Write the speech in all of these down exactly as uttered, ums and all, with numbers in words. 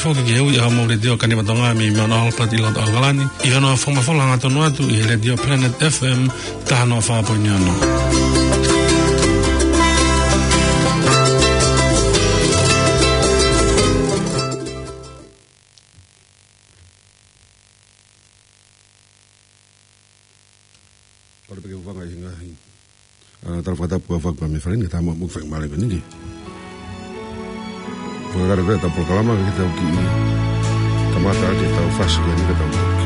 ʻOku ke ui ʻa Mou Letiō Kaniva Tonga mei Mount Albert ʻi loto ʻAokalani, ʻi hono fakamafola hangatonu atu ʻi he Letiō Planet F M taha noa fā poini ono. Pale peke ufanga i hinga hi. ʻA, tala fakatapu ʻa Fakua me Falini, ka tama mo feng male ko niki. Fakakare ko e tau polokalama, ka ke tau ki kamata ke tau fasi ko niki ka tau ki.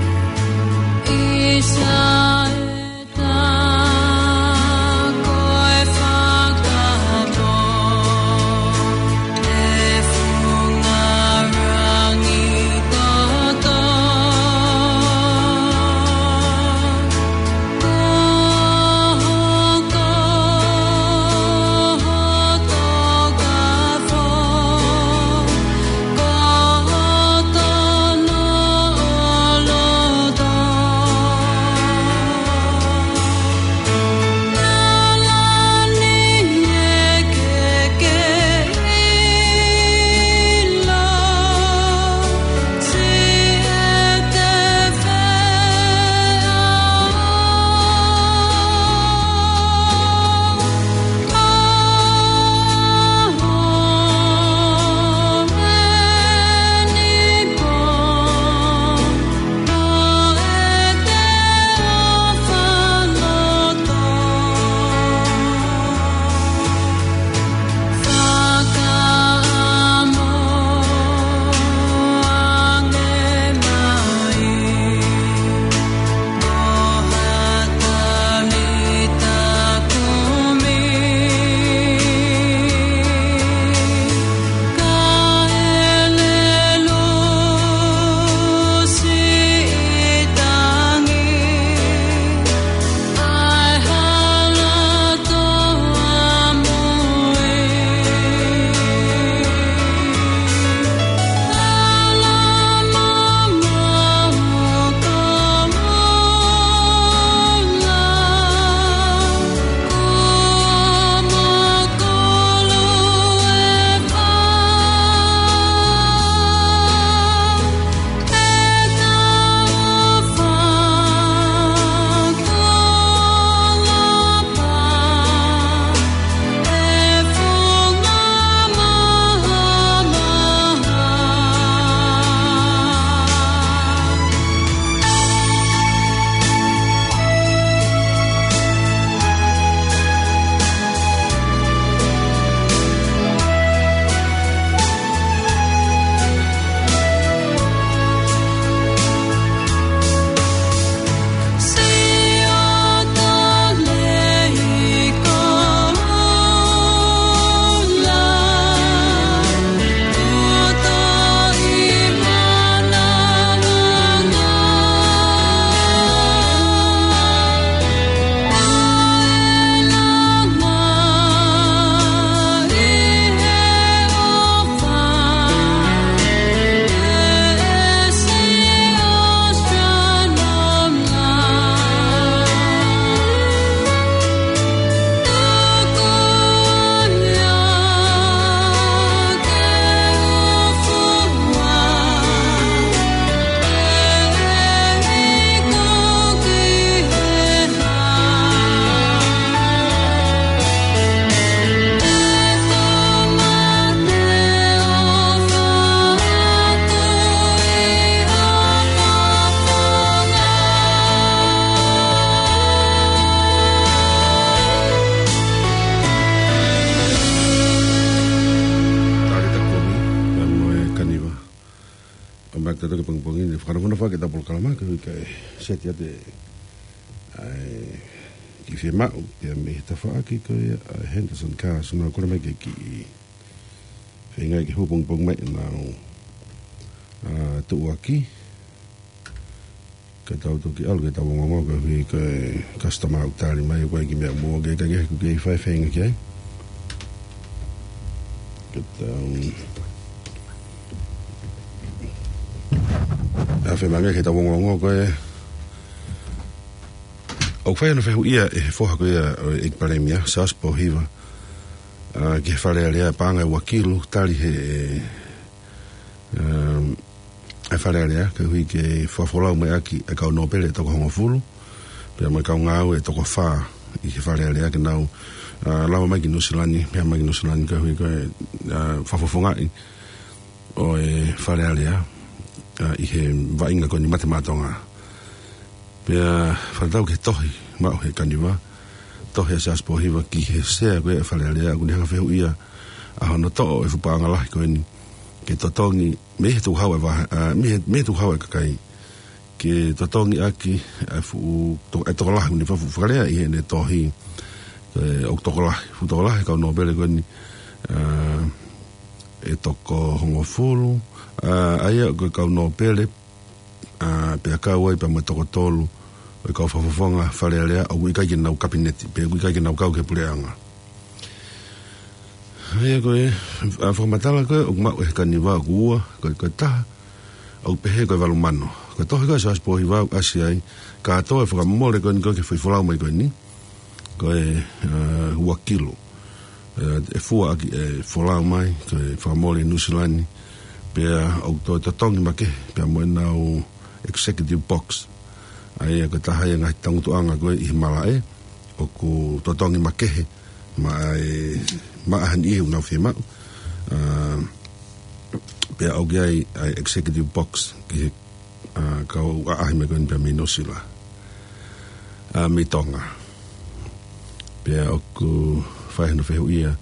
Tali takomi, ʻa Moe Kaniva. ʻO mai ke tau toki pongipongi ni, fakanofo ke tau polokalama, ka ʻoku ʻikai seti atu ʻa e kiʻi fiemaʻu, pea mei he tafaʻaki ko ia ʻa Henderson Cars, ʻoku mau kole mai ke kiʻi feinga ke hū pongipongi mai ʻenau, ʻa, tuʻuaki. Ka tau toki ʻalu ke tau ongoongo ka hui ka e customer ʻoku tali mai ʻoku ʻai ki meʻa mō ke ka ke ku ke fai feinga ki ai. Ka tau, ʻa, feinga ke tau ongoongo ko e ʻoku fai ʻena fehuʻia ʻe he foha ko ia ʻo e ʻEiki Palēmia, Charles Pōhiva, ʻa, ki he Fale Alea paʻanga ʻe ua kilu tali he, um, ʻa e Fale Alea, koeʻuhi ke fakafolau mai ʻaki ʻa e kau nōpele ʻe toko hongofulu, pea mo e kau ngāue ʻe toko fā ʻi he Fale Alea ke nau, ʻa, lava mai ki Nuʻu Sila ni, pea mai ki Nuʻu Sila ni koeʻuhi ko e, ʻa, fakafofongaʻi ʻo e Fale Alea, ʻa, ʻi he vaʻinga ko eni Mate Maʻa Tonga. Pea fakatatau ki he tohi maʻu ʻe he Kaniva, tohi ʻa Siaosi Pōhiva ki he sea ko ē ʻa e Fale Alea, ʻoku ne hanga ʻo fehuʻia ʻa hono toʻo ʻo e fuʻu paʻanga lahi ko eni ke totongi mei he tukuhau ʻa e vahe-, ʻa, mei he, mei he tukuhau ʻa e kakai ke totongi ʻaki ʻa e fuʻu to-, ʻa e tokolahi, ʻoku ne fakafuʻu fakalea ʻi heʻene tohi, ʻe, ʻoku tokolahi, fuʻu tokolahi ʻa e kau nōpele ko eni, ʻa, ʻe toko hongofulu, ʻa, ʻa ia ko e kau nōpele, ʻa, pea kau ai pea mo e toko tolu ʻo e kau fakafofonga Fale Alea ʻoku ʻikai ke nau kapineti, pe ʻoku ʻikai ke nau kau ki he puleʻanga. ʻA ia ko e, ʻa, fakamatala ko ē ʻoku maʻu ʻe he Kaniva ʻoku ua, ko e, ko e taha, ʻoku pehē ko e valu mano. Ko e tohi ko ē ʻa Siaosi Pōhiva ʻoku ʻasi ai, kātoa e fakamole ko eni ko ē ki he foʻi folau mai ko eni, ko e, ʻa, ua kilu. ʻE, ʻe fua ʻaki ʻe folau mai, ko e fakamole ʻi Nuʻu Sila ni, pea ʻoku toe totongi makehe, pea mo ʻenau executive box. ʻA ia ko e taha ia e ngaahi tangutuʻanga ko ē ʻi he malaʻe, ʻoku totongi makehe, maʻa e, maʻa ha niʻihi ʻoku nau fiemaʻu. ʻA, pea ʻoku ʻi ai ʻa e executive box ki he, ʻa, kau ʻaʻahi mai ko eni pea mei Nuʻu Sila. ʻA, mei Tonga. Pea ʻoku fai hono fehuʻia,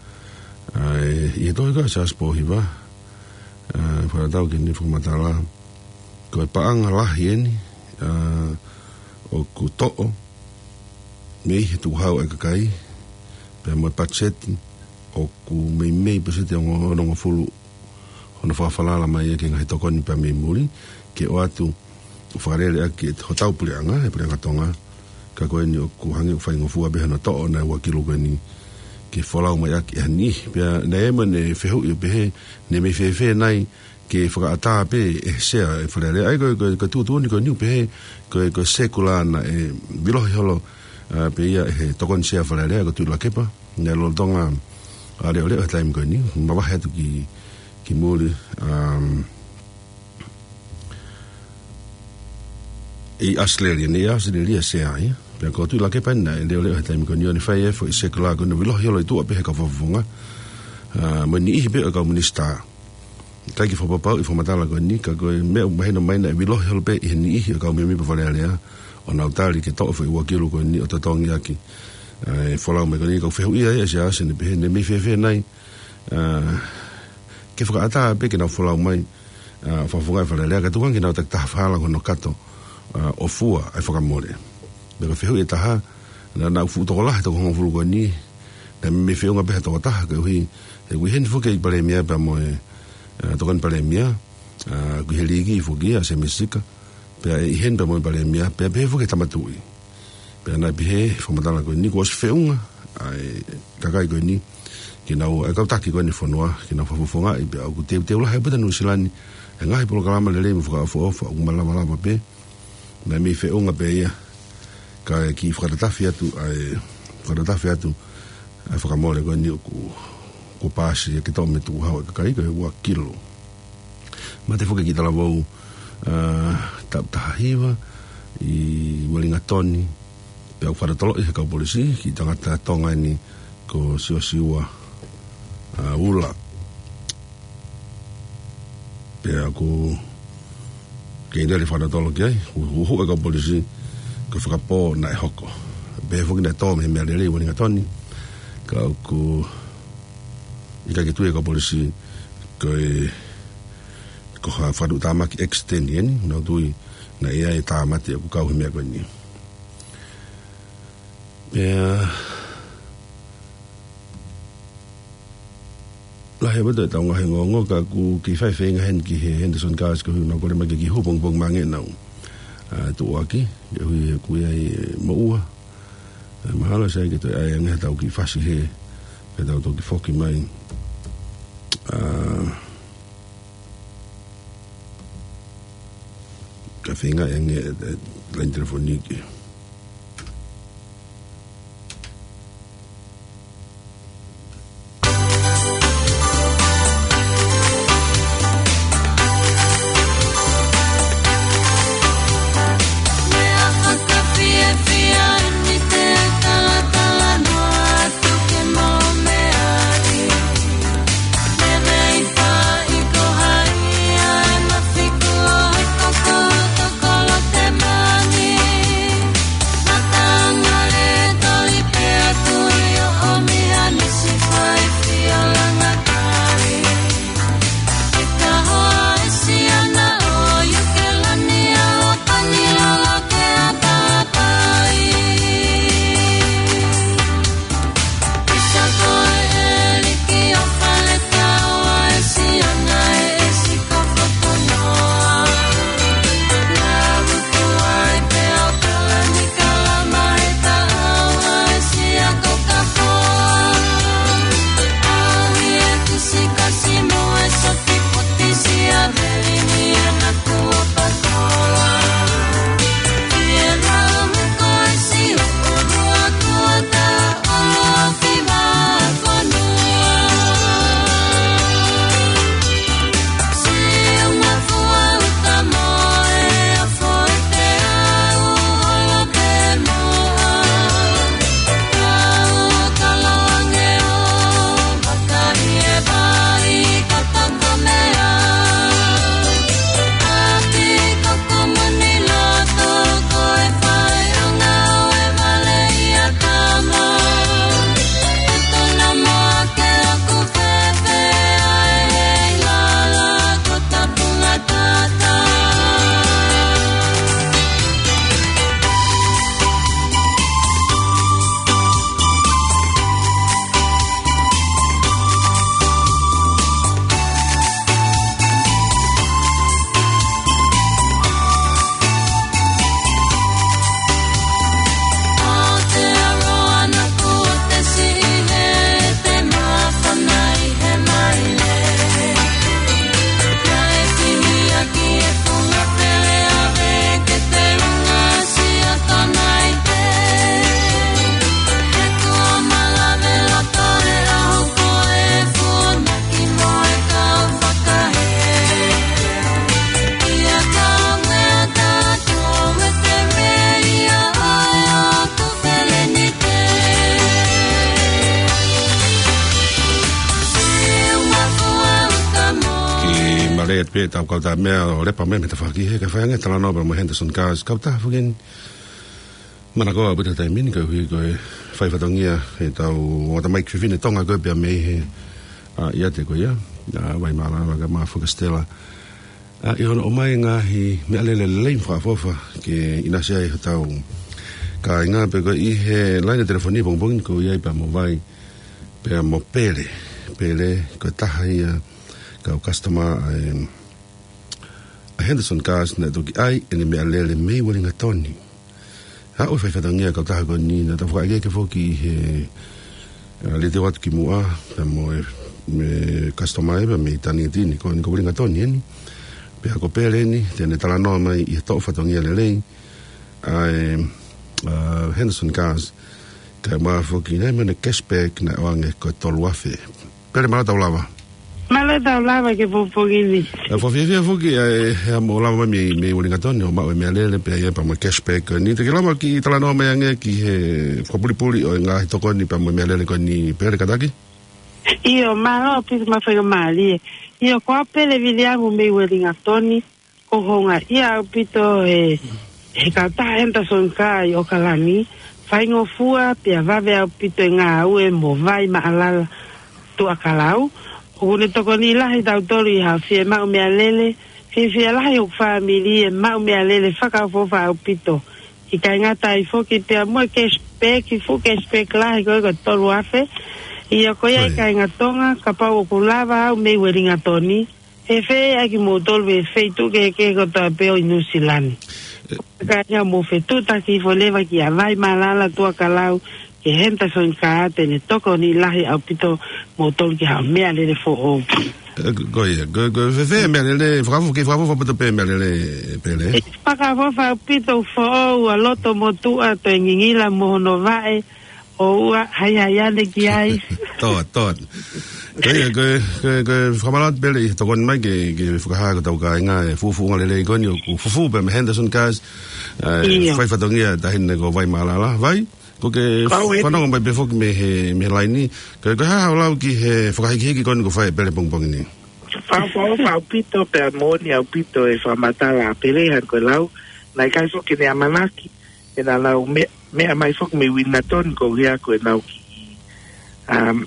ʻa, ʻe, ʻi he tohi ko ē ʻa Siaosi Pōhiva, ʻa, fakatatau ki heʻene fakamatala, ko e paʻanga lahi eni, ʻa, ʻoku toʻo mei he tukuhau ʻa e kakai, pea mo e patiseti ʻoku meimei paseti ʻe ongo-, onongofulu hono fakafalala mai ia ki he ngaahi tokoni pea mei muli, ke ʻoatu ʻo fakalele ʻaki ʻe hotau puleʻanga, ʻe he puleʻanga Tonga, ka ko eni ʻoku hangē ʻoku faingofua pē hono toʻo ʻo e ua kilu ko eni ke folau mai ʻaki ʻe ha niʻihi. Pea naʻe ʻi ai mo ʻene fehuʻi ʻo pehē, ne mei fēfē nai ke fakaʻatā pē ʻe he sea ʻo e Fale Alea. ʻA ia ko e, ko e, ko e tuʻutuʻuni ko eni ʻoku pehē, ko e, ko e sēkula naʻe vilohi holo, ʻa, pē ia ʻe he tokoni sea Fale Alea ko Tuʻilakepa, naʻe lolotonga ʻa leʻoleʻo he taimi ko eni, mavahe atu ki, ki muli, um, ʻi ʻAositelēlia, naʻe ʻi ʻAositelēlia e sea ia. Pea ko Tuʻilakepa naʻe leʻoleʻo he taimi ko eni ʻo ne fai e foʻi sēkula ko eni ʻo vilohi holo ʻi tuʻa pē he kau fakafofonga, ʻa, mo e niʻihi pē ʻo e kau minisitā. ʻIkai ke fakapapauʻi e fakamatala ko eni, ka ko e meʻa ʻoku mahino mai naʻe vilohi holo pē ʻe he niʻihi ʻo e kau mēmipa Fale Alea, ʻo nau tali ke toʻo e foʻi ua kilu ko eni ʻo totongi ʻaki, ʻa, e folau mai ko eni. Ka ʻoku fehuʻia ai ʻa Siaosi ʻo ne pehē, ne mei fēfē nai, ʻa, ke fakaʻatā pē ke nau folau mai, ʻa, fakafofongaʻi e Fale Alea, kae tuku ange ke nau takitaha falala ki hono kato, ʻa, ʻo fua ʻa e fakamole. Pea ko e fehuʻi ʻe taha, naʻa, naʻa ʻoku fuʻu tokolahi e toko hongofulu ko eni, naʻe mei feʻunga pē ha tokotaha koeʻuhi, he ʻoku ʻi heni foki e Palēmia pea mo e, ʻa, Tokoni Palēmia, ʻa, ʻoku ʻi he liki foki ia ʻa Sēmisi Sika, pea ʻe ʻi heni pea mo e Palēmia, pea pehē foki e Tama Tuʻi. Pea naʻe pehē e fakamatala ko eni kuo ʻosi feʻunga ʻa e kakai ko eni, ke nau, ʻa e kau taki ko eni ʻo e fonua, ke nau fakafofongaʻi, pea ʻoku teuteu lahi ʻaupito ʻa Nuʻu Sila ni he ngaahi polokalama lelei mo fakaʻofoʻofa, ʻoku malava lava pē, naʻe mei feʻunga pē ia, kae kiʻi fakatatafi atu, ʻa e, fakatatafi atu ʻa e fakamole ko eni ʻoku, kuo paasi ia ke toʻo mei he tukuhau ʻa e kakai ko e ua kilu. Mate foki e kiʻi talavou, ʻa, taʻu taha hiva ʻi Uelingatoni, pea ʻoku fakatotoloʻi ʻe he kau polisi e kiʻi tangata Tonga eni ko Siosiua, ʻa, Ula. Pea ʻoku kei lele e fakatotolo ki ai, hu-, huhuʻi ʻe he kau polisi ko e fakapō naʻe hoko. Pehē foki naʻe tō mei he meʻalele ʻi Uelingatoni, ka ʻoku ʻikai ke tui e kau polisi ko e, ko ha fakatuʻutāmaki accident eni, nau tui naʻe ʻi ai e tāmate ʻoku kau he meʻa ko eni. Pea lahi ʻaupito ʻetau ngaahi ongoongo, ka ʻoku kei fai e feinga heni ki he Henderson Cars koeʻuhi ʻoku nau kole mai ke kiʻi hū pongipongi maʻange ʻenau, ʻa, tuʻuaki, koeʻuhi he ʻoku ʻi ai e moʻua. ʻE, mahalo sai ke toe ʻai ange haʻatau kiʻi fasi hē, ke tau toki foki mai. ʻA, ka feinga ange e, e, laine telefoni ke. ʻEte pē tau kau tā meʻa ʻo lepa mai mei he tafaʻaki he ka fai ange talanoa pea mo Henderson Cars. Kau tā fukin manako ʻaupito he taimi ni koeʻuhi ko e fai fatongia ʻetau ʻoatu mai ki he fefine Tonga ko ē pea mei he, ʻa, ʻiate ko ia, ʻa, Vaimālala kae ʻumaʻā foki Stella. ʻA, ʻi hono ʻomai ngaahi meʻalele lelei mo fakaʻofoʻofa ke ʻinasi ai hotau kāinga pea ko e ʻi he laine telefoni pongipongi ni ko ia pea mo Vai pea mo Pele. Pele ko e taha ia kau customer ʻa e, ʻa Henderson Cars naʻe toki ʻai ʻene meʻalele mei Uelingatoni. Haʻu e fai fatongia kau taha ko eni naʻa tau fakaʻekeʻeke foki he, ʻa, lete atu ki muʻa, pea mo e, mei he customer ē, pea mei Taniatini, ko eni ko Uelingatoni eni. Pea ko Pele eni, te ne talanoa mai ʻi he toʻo fatongia lelei ʻa e, ʻa, Henderson Cars, kae ʻumaʻā foki naʻe mo ʻene cashback naʻe ʻoange ko e tolu afe. Pele, mālō tau lava. Mālō tau lava ki he pongipongi ni. ʻE, fakafiefia foki ʻa e, he ʻa mo lava mai mei, mei Uelingatoni ʻo maʻu e meʻalele pea ia pea mo e cashback ko eni. Te ke lava ke talanoa mai ange ki he fakapulipuli ʻo e ngaahi tokoni pea mo e meʻalele ko eni, Pele, kātaki? ʻIo, mālō ʻaupito mo e faingamālie. ʻIo, ko au Pele Viliamu mei Uelingatoni, ʻoku ou houngaʻia ʻaupito he, he kau tā Henderson Cars ʻi ʻAokalani, faingofua pea vave ʻaupito e ngāue mo Vaimālala Tuʻakalau. ʻOku ne tokoni lahi tautolu ʻi haʻo fiemaʻu meʻalele, fiefia lahi hoku fāmili ʻi he maʻu meʻalele fakaʻofoʻofa ʻaupito. ʻIkai ngata ai foki pea mo e cashback, fuʻu cashback lahi ko e ko e tolu afe. ʻIo, ko ia ʻi he kāinga Tonga, kapau ʻoku lava au mei Uelingatoni, ʻe feʻiloaki kimoutolu mei he feituʻu kehekehe kotoa pē ʻo ʻi Nuʻusila ni. Kāinga, mou fetuʻutaki hifo leva kia Vaimālala Tuʻakalau, ki he Henderson Cars, te ne tokoni lahi ʻaupito moutolu ki haʻo meʻalele foʻou. ʻE, ko ia, ko, ko e fēfē meʻalele, fakaʻofoʻofa, ke fakaʻofoʻofa ʻaupito pē meʻalele, Pele? Fakaʻofoʻofa ʻaupito, foʻou, ʻa loto motuʻa, toe ngingila mo hono vaʻe, ʻoua, haihai ane ki ai. Tō, tō. Ko ia, ko, ko, ko e fakamālō atu Pele ʻi he tokoni mai ke, ke fakahā ki hotau kāinga e fuʻu fuʻunga lelei ko eni ʻoku fufū pē mei Henderson Cars, ʻa e, ʻio, fai fatongia taʻahine ko Vaimālala. Vai, ko ke fanongo mai pē foki mei he, mei he laini. Ko, ko e hā haʻo lau ki he fakahikihiki ko eni kuo fai ʻe Pele pongipongi ni? Fakaʻofoʻofa ʻaupito pea moʻoni ʻaupito e fakamatala ʻa Pele hangē ko e lau. Naʻe ʻikai foki ke ne ʻamanaki ke na nau me-, meʻa mai foki mei Uelingatoni koeʻuhi ko ʻenau kiʻi, um,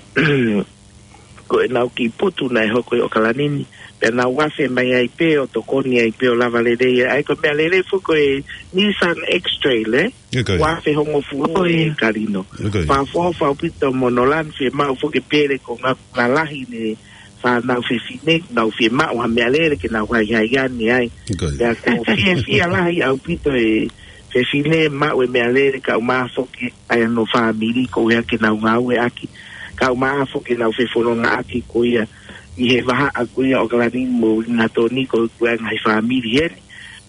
ko ʻenau kiʻi putu naʻe hoko ʻi ʻAokalani ni, pea nau afe mai ai pē ʻo tokoni ai pē ʻo lava lelei ai. Ko e meʻalele foki ko e Nissan X-Trail, ē? ʻIo, ko ia. Ua afe hongofulu ʻe Kalino. ʻIo, ko ia. Fakaʻofoʻofa ʻaupito mo Nolan, fiemaʻu foki ʻe Pele ko e ngaahi lalahi ʻene fānau fefine, nau fiemaʻu ha meʻalele ke nau haihai ane ai. ʻIo, ko ia. Pea ʻoku fiefia lahi ʻaupito e fefine maʻu e meʻalele kae ʻumaʻā foki ʻa hono fāmili koeʻuhi ke nau ngāueʻaki. Kae ʻumaʻā foki ʻenau fefonongaʻaki ko ia ʻi he vahaʻa ko ia ʻo ʻAokalani mo Uelingatoni ko e ngaahi fāmili heni.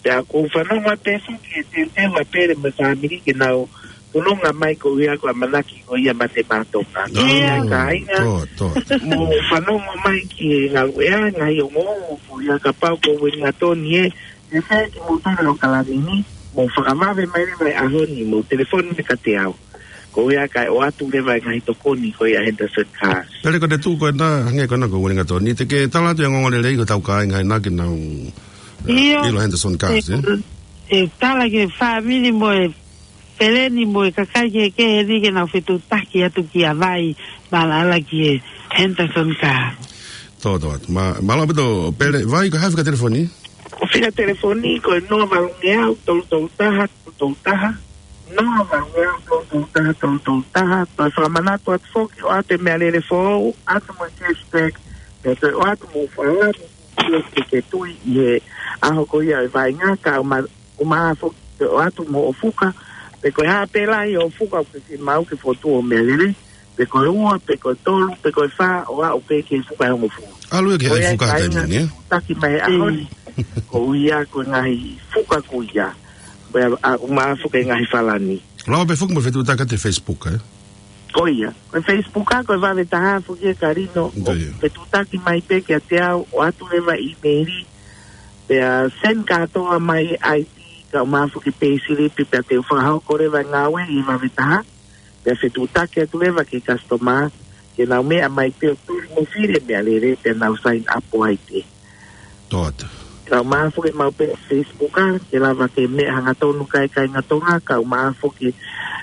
Pea ʻoku ou fanongo atu pē foki he teuteu ʻa Pele mo e fāmili ke nau fononga mai koeʻuhi ko e ʻamanaki ko ia mate mātoka. ʻIo. Kāinga, tō, tō. Mou fanongo mai ki he ngāue ʻa e ngaahi ongo koeʻuhi kapau ko Uelingatoni ē, ʻe fēfē kimoutolu ʻi ʻAokalani ni, mou fakavave mai leva he ʻaho ni, mou telefoni mai kiate au. Koeʻuhi kae ʻoatu leva e ngaahi tokoni ko ia ʻa Henderson Cars. Pele, ko e tuʻu ko ena, hangē ko ena ko Uelingatoni, te ke tala atu e ongoongolelei ki hotau kāinga ʻi he naʻa ke nau, ʻio, ʻilo Henderson Cars, ē? ʻE, ʻe tala ki he fāmili mo e peleni mo e kakai kehekehe ni ke nau fetuʻutaki atu kia Vaimālala ki he Henderson Cars. Tō, tō atu. Mā, mālō ʻaupito Pele. Vai, ko e hā e fika telefoni? Ko e fika telefoni ko e noa valu ngeau tolu tolu taha tolu tolu taha. Noa valu ngeau tolu tolu taha tolu tolu taha. Toe fakamanatu atu foki, ʻoatu e meʻalele foʻou, ʻoatu mo e cashback, pea toe ʻoatu mo e falani ke, ke tui ʻi he ʻaho ko ia e vaʻinga, kae ʻuma-, ʻumaʻā foki ʻoatu mo e fuka, pe ko e hā pē lahi e fuka ʻoku ke fiemaʻu ke fokotuʻu ho meʻalele, pe ko e ua, pe ko e tolu, pe ko e fā, ʻo aʻu pē ki he fuka ʻe hongofulu. ʻAlu ia ki he fuka he taimi ni, ē? Ko ia e kāinga, taki mai he ʻaho ni. Mm. Koeʻuhi ko e ngaahi fuka ko ia. Ko ia, ʻa, ʻumaʻā foki e ngaahi falani. Lava pē foki mo e fetuʻutaki atu he Facebook, ē? Ko ia. Ko e Facebook ʻa, ko e Vave Taha foki ē Kalino. Ko ia. Fetuʻutaki mai pē kiate au, ʻoatu leva e email, pea send kātoa mai e I D, kae ʻumaʻā foki e payslip, pea te u fakahoko leva e ngāue ʻi he Vave Taha. Pea fetuʻutaki atu leva ki he customer, ke nau meʻa mai pē ʻo tuli mo fili e meʻalele, pea nau sign up ai pē. ʻOatu. Kau maʻu foki ʻemau peesi Facebook, ʻa, ke lava ke meʻa hangatonu kae kāinga Tonga, kau maʻu foki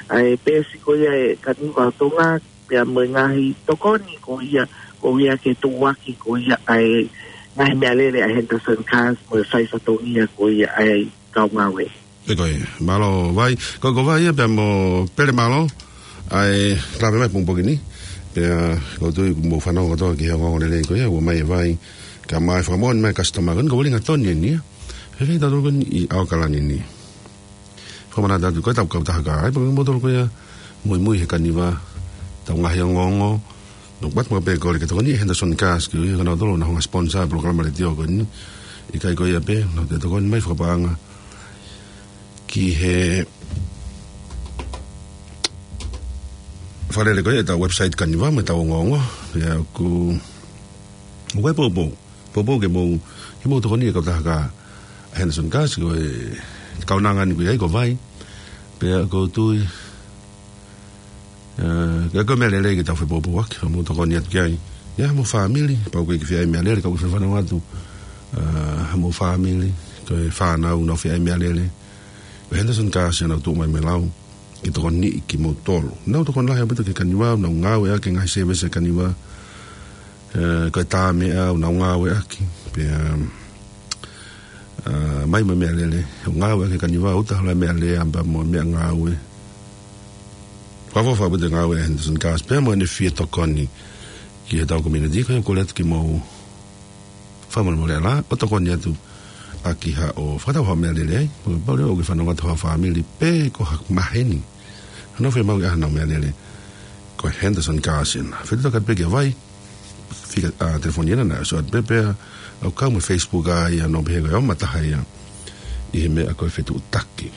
ʻa e peesi ko ia ʻa e Kaniva ʻo Tonga, pea mo e ngaahi tokoni ko ia, ko ia ke tuʻuaki ko ia ʻa e ngaahi meʻalele ʻa Henderson Cars mo e faifatongia ko ia ʻa e kau ngāue. ʻIo ko ia, mālō Vai, ko, ko Vai ia pea mo Pele, mālō ʻa e lave mai pongipongi ni. Pea ʻoku ou tui kuo mou fanongo kotoa ki he ongoongo lelei ko ia, ʻomai ʻe Vai, kae ʻumaʻā e fakamoʻoni mai e customer ko eni, ko Uelingatoni eni ia. Fēfē tautolu ko eni ʻi ʻAokalani ni? Fakamanatu atu ko e tau kautaha kā ai, pea ko kimoutolu ko ia muimui he Kaniva, tau ngaahi ongoongo, no, but mo pē kole ke tokoni ʻe Henderson Cars, ko ia ko kinautolu naʻa nau sponsor e polokalama letiō ko eni. ʻIkai ko ia pē, naʻa nau toe tokoni mai fakapaʻanga ki he fakalele ko ia ʻetau website Kaniva mo ʻetau ongoongo. Pea ʻoku, ʻoku ou poupou, poupou ke mou, ke mou tokoni e kautaha kā ʻa Henderson Cars, ko e kaunanga ni ʻoku ʻi ai ko Vai. Pea ʻoku ou tui, ē, ka ko e meʻa lelei ke tau fepoupouaki, ke mou tokoni atu ki ai. ʻI ai hamou fāmili, kapau ʻoku ʻikai ke fie ʻai e meʻalele, ka ʻoku ke fie fanongo atu, ē, hamou fāmili, ko e fānau ʻoku nau fie ʻai e meʻalele, ko e Henderson Cars ia ʻoku nau tuʻu mai mo e lau ke tokoniʻi kimoutolu. Nau tokoni lahi ʻaupito ki he Kaniva, ʻoku nau ngāueʻaki e ngaahi service ʻa e Kaniva, ē, ko e tā meʻa ʻoku nau ngāueʻaki, pea, ē, mai mo e meʻalele ʻoku ngāueʻaki ʻe he Kaniva, ʻoku taha la meʻalele ʻa pea mo e meʻangāue. Fakaʻofoʻofa ʻaupito e ngāue ʻa Henderson Cars pea mo ʻene fie tokoni ki heʻetau community, ko ia ʻoku ou kole atu ke mou fakamolemole ʻa e lā ʻo tokoni atu ʻaki haʻo fakatau haʻo meʻalele ai, mo e pau leva ʻoku ke fanongo atu haʻo fāmili pe ko ha maheni ʻoku nau fie maʻu ʻe ha nau meʻalele, ko e Henderson Cars ena. Fetuʻutaki pē kia Vai, fika, ā, telefoni ena naʻe ʻosi ʻoatu pē, pea ʻoku kau mo e Facebook ʻa ia, ʻoku nau pehē ko e ʻomai taha ia ʻi he meʻa ko e fetuʻutaki.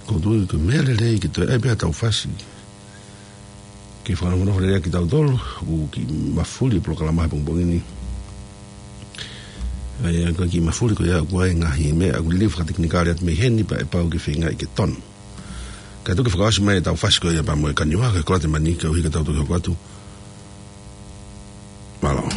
ʻOku ou tui ko e meʻa lelei ke toe ʻai pē haʻatau fasi ke fakanofo lelei ʻaki kitautolu, ʻoku kiʻi mafuli e polokalama he pongipongi ni. ʻA ia ko e kiʻi mafuli ko ia ʻoku ʻi ai e ngaahi meʻa ʻoku liliu fakatekinikale atu mei heni pea ʻe pau ke feingaʻi ke tonu. Kae tuku ke fakaʻosi mai ʻetau fasi ko ia pea mo e Kaniva, ko e Kolate Mani, koeʻuhi ke tau toki hoko atu. Mālō.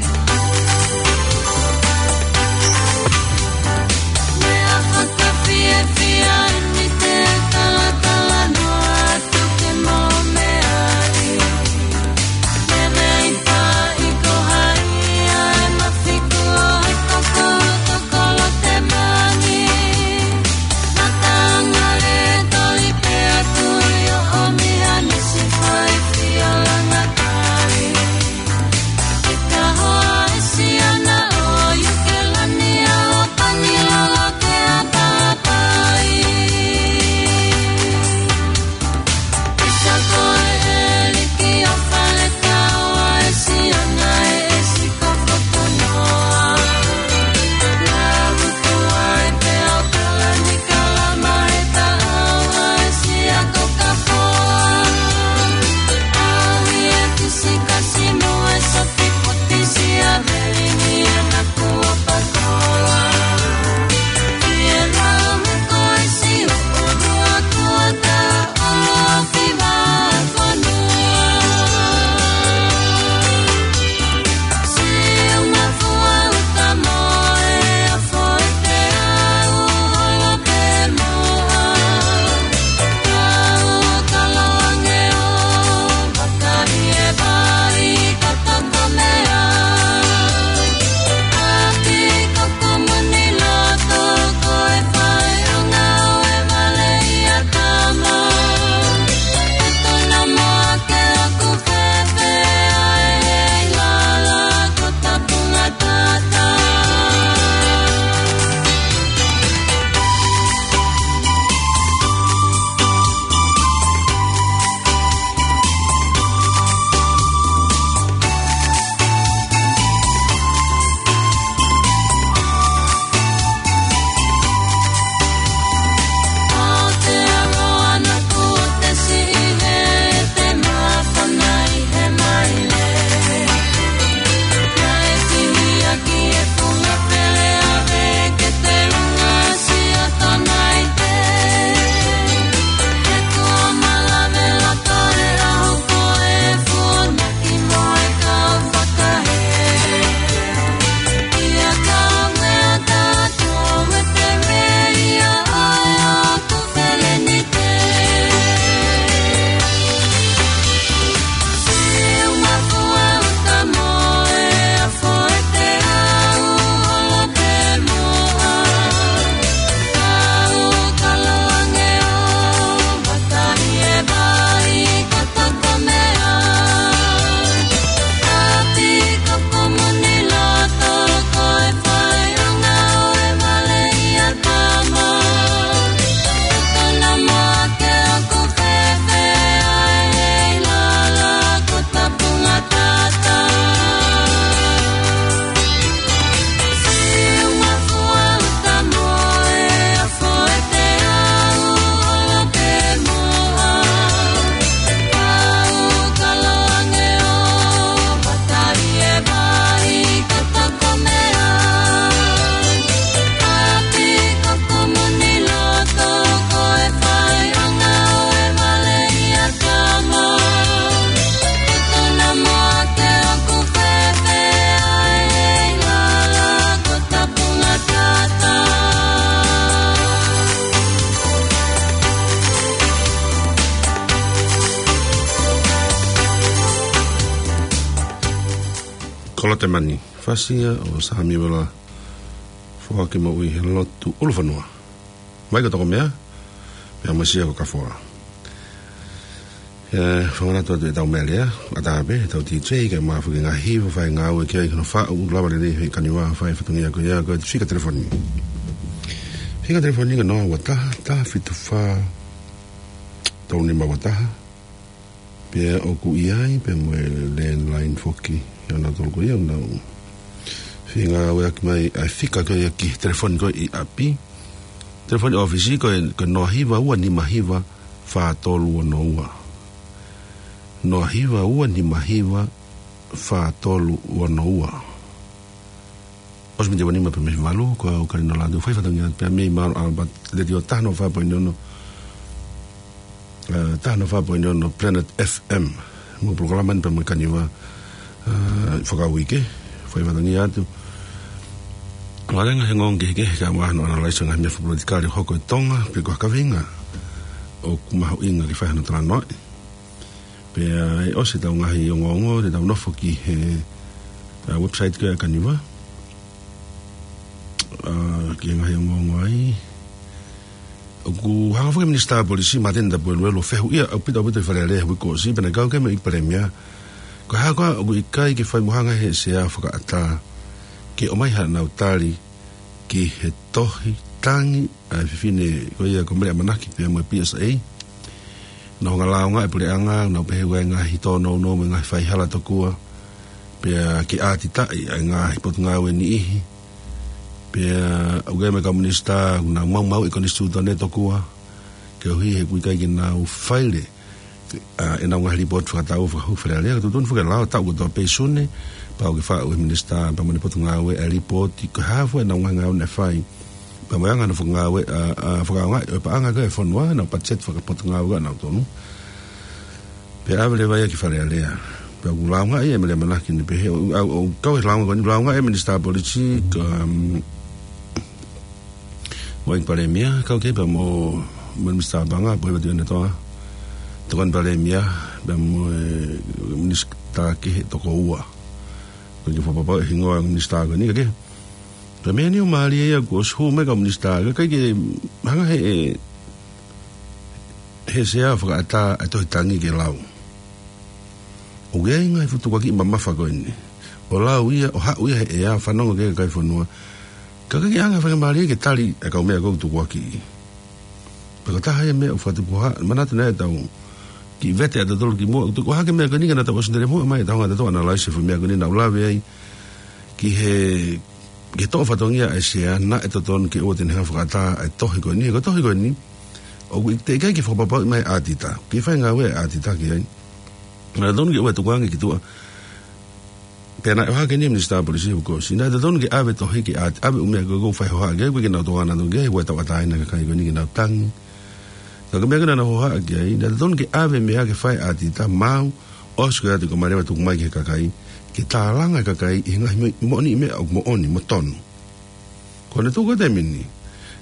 Kolotemani, fasi ia ʻo Samiuela Foaki Moʻui he Lotu ʻUlufonua. Mai ko Tokomea, pea mo Sia ko Kafoa. ʻE, fakamanatu atu ʻetau meʻa lea, ʻatā pē, ʻetau D J, kae ʻumaʻā foki e ngaahi hiva, fai ngāue ki ai, hono faʻu, lava lelei he kaniva, fai fatongia ko ia, ko e fika telefoni. Fika telefoni ko e noa ua taha, taha fitu fā, tolu nima ua taha. Pea ʻoku ʻi ai, pea mo e landline foki, ʻa nautolu ko ia, ʻoku nau feinga ʻo ʻave mai ʻa e fika ko ia ki he telefoni ko ē ʻi ʻapi. Telefoni ʻōfisi ko e, ko e noa hiva ua nima hiva fā tolu ono ua. Noa hiva ua nima hiva fā tolu ono ua. ʻOsi miniti ua nima pē mei he valu, ko au Kalino Lātū, fai fatongia pē mei Mount Albert, Letiō taha noa fā poini ono, ʻa, taha noa fā poini ono Planet F M. Mo e polokalama ni pea mo e kaniva, ʻa, fakauike, fai fatongia atu. Valenga he ngong ke ke ka mahano analyze ngaahi meʻa fakapolitikale hoko ʻi Tonga, pe ko ha kaveinga ʻoku mahuʻinga ke fai hano talanoaʻi. Pea ʻe ʻosi ʻetau ngaahi ongoongo, te tau nofo ki he, ʻa, website ko ia ʻa e kaniva. ʻA, ki he ngaahi ongoongo ai. ʻOku hanga foki e Minisitā Polisi, Māteni Tapueluelu, ʻo fehuʻia ʻaupito ʻaupito ʻi Fale Alea he uike kuo ʻosi, pea naʻe kau ki ai mo e ʻEiki Palēmia. Ko e hā koā ʻoku ʻikai ke fai mo hanga ʻe he Sea Fakaʻatā ke ʻomai haʻanau tali ki he tohi tangi ʻa e fefine ko ia ko Mele ʻAmanaki pea mo e P S A. Naʻe hanga ʻo lāunga e puleʻanga, nau pehē ʻoku ʻi ai e ngaahi tōnounou mo e ngaahi faihala tokua. Pea ke ʻātitaʻi ʻa e ngaahi potungāue niʻihi. Pea ʻoku ʻi ai mo e kau minisitā, ʻoku nau maumauʻi e konisitūtone tokua. Koeʻuhi he ʻoku ʻikai ke nau faile ʻa, ʻenau ngaahi lipooti fakataʻu fakahū ki Fale Alea, ka totonu foki ke lao taʻu kotoa pē ʻi Sune, pau ke faʻu ʻe he minisitā, pea mo e potungāue ʻa e lipooti, ko e hā fua ʻenau ngaahi ngāue naʻe fai. Pea mo e anga hono fakangāue, ʻa, ʻa, fakaʻaongaʻi ʻo e paʻanga ko ē ʻa e fonua, ʻenau patiseti fakapotungāue ko ē ʻanautolu. Pea ʻave leva ia ki Fale Alea. Pea ʻoku lāungaʻi ʻe Mele ʻAmanaki ni pehē, ʻo, ʻo, ʻo, kau he lāunga ko eni, lāungaʻi ʻe he Minisitā Polisi, ka, um, mo e ʻEiki Palēmia, kau ki ai pea mo, mo e Minisitā Paʻanga, Pohiva Tuʻiʻonetoa, Tokoni Palēmia, pea mo e Minisitā kehe toko ua. Ko e kiʻi fakapapauʻi e hingoa e minisitā ko eni, ka ke. Pea meʻa ni ʻoku mālie ia kuo ʻosi hū mai e kau minisitā, ka ʻikai ke hanga ʻe he, he Sea Fakaʻatā ʻa e tohi tangi ke lau. ʻOku ʻi ai e ngaahi fuʻu tukuakiʻi mamafa ko eni. ʻO lau ia, ʻo haʻu ia he ʻea, fanongo ki ai e kakai e fonua. Ka ʻikai ke ʻi ai ha faingamālie ke tali e kau meʻa ko ē ʻoku tukuakiʻi. Pea ko e taha ia e meʻa ʻoku fakatupu hake, manatu naʻa tau kiʻi vete ʻatautolu kimuʻa, ʻoku tuku hake e meʻa ko eni ka naʻa tau ʻosi lele muʻa mai, tau hanga ʻo analyze e fuʻu meʻa ko eni naʻa ku lave ai. Ki he, ki he toʻo fatongia ʻa e Sea, naʻe totonu ke ʻoua te ne hanga ʻo fakaʻatā ʻa e tohi ko eni, he ko e tohi ko eni, ʻoku ʻi-, teʻeki ai ke fakapapauʻi mai ʻe he ʻātita, ke fai ngāue ʻa e ʻātita ki ai. Naʻe totonu ke ʻoua ʻe tukuange ki tuʻa. Pea naʻe ʻohake eni ʻe he Minisitā Polisi he uike kuo ʻosi. Naʻe totonu ke ʻave e tohi ki he ʻāti-, ʻave e ʻū meʻa ko ē ʻoku fai hohaʻa ki ai, ʻoku ʻikai ke nau tokanga atu ki ai, he ʻoku tauʻatāina e kakai ko eni ke nau tangi. Ka ko e meʻa ko ē naʻa nau hohaʻa ki ai, naʻe totonu ke ʻave e meʻa ke fai ʻe he ʻātita, maau, ʻosi ko ia ʻoku ʻikai ke malava tuku mai ki he kakai, ke tālanga e kakai ʻi he ngaahi mo-, moʻoniʻi meʻa ʻoku moʻoni, mo tonu. Ko hono tuʻu ko ē he taimi ni,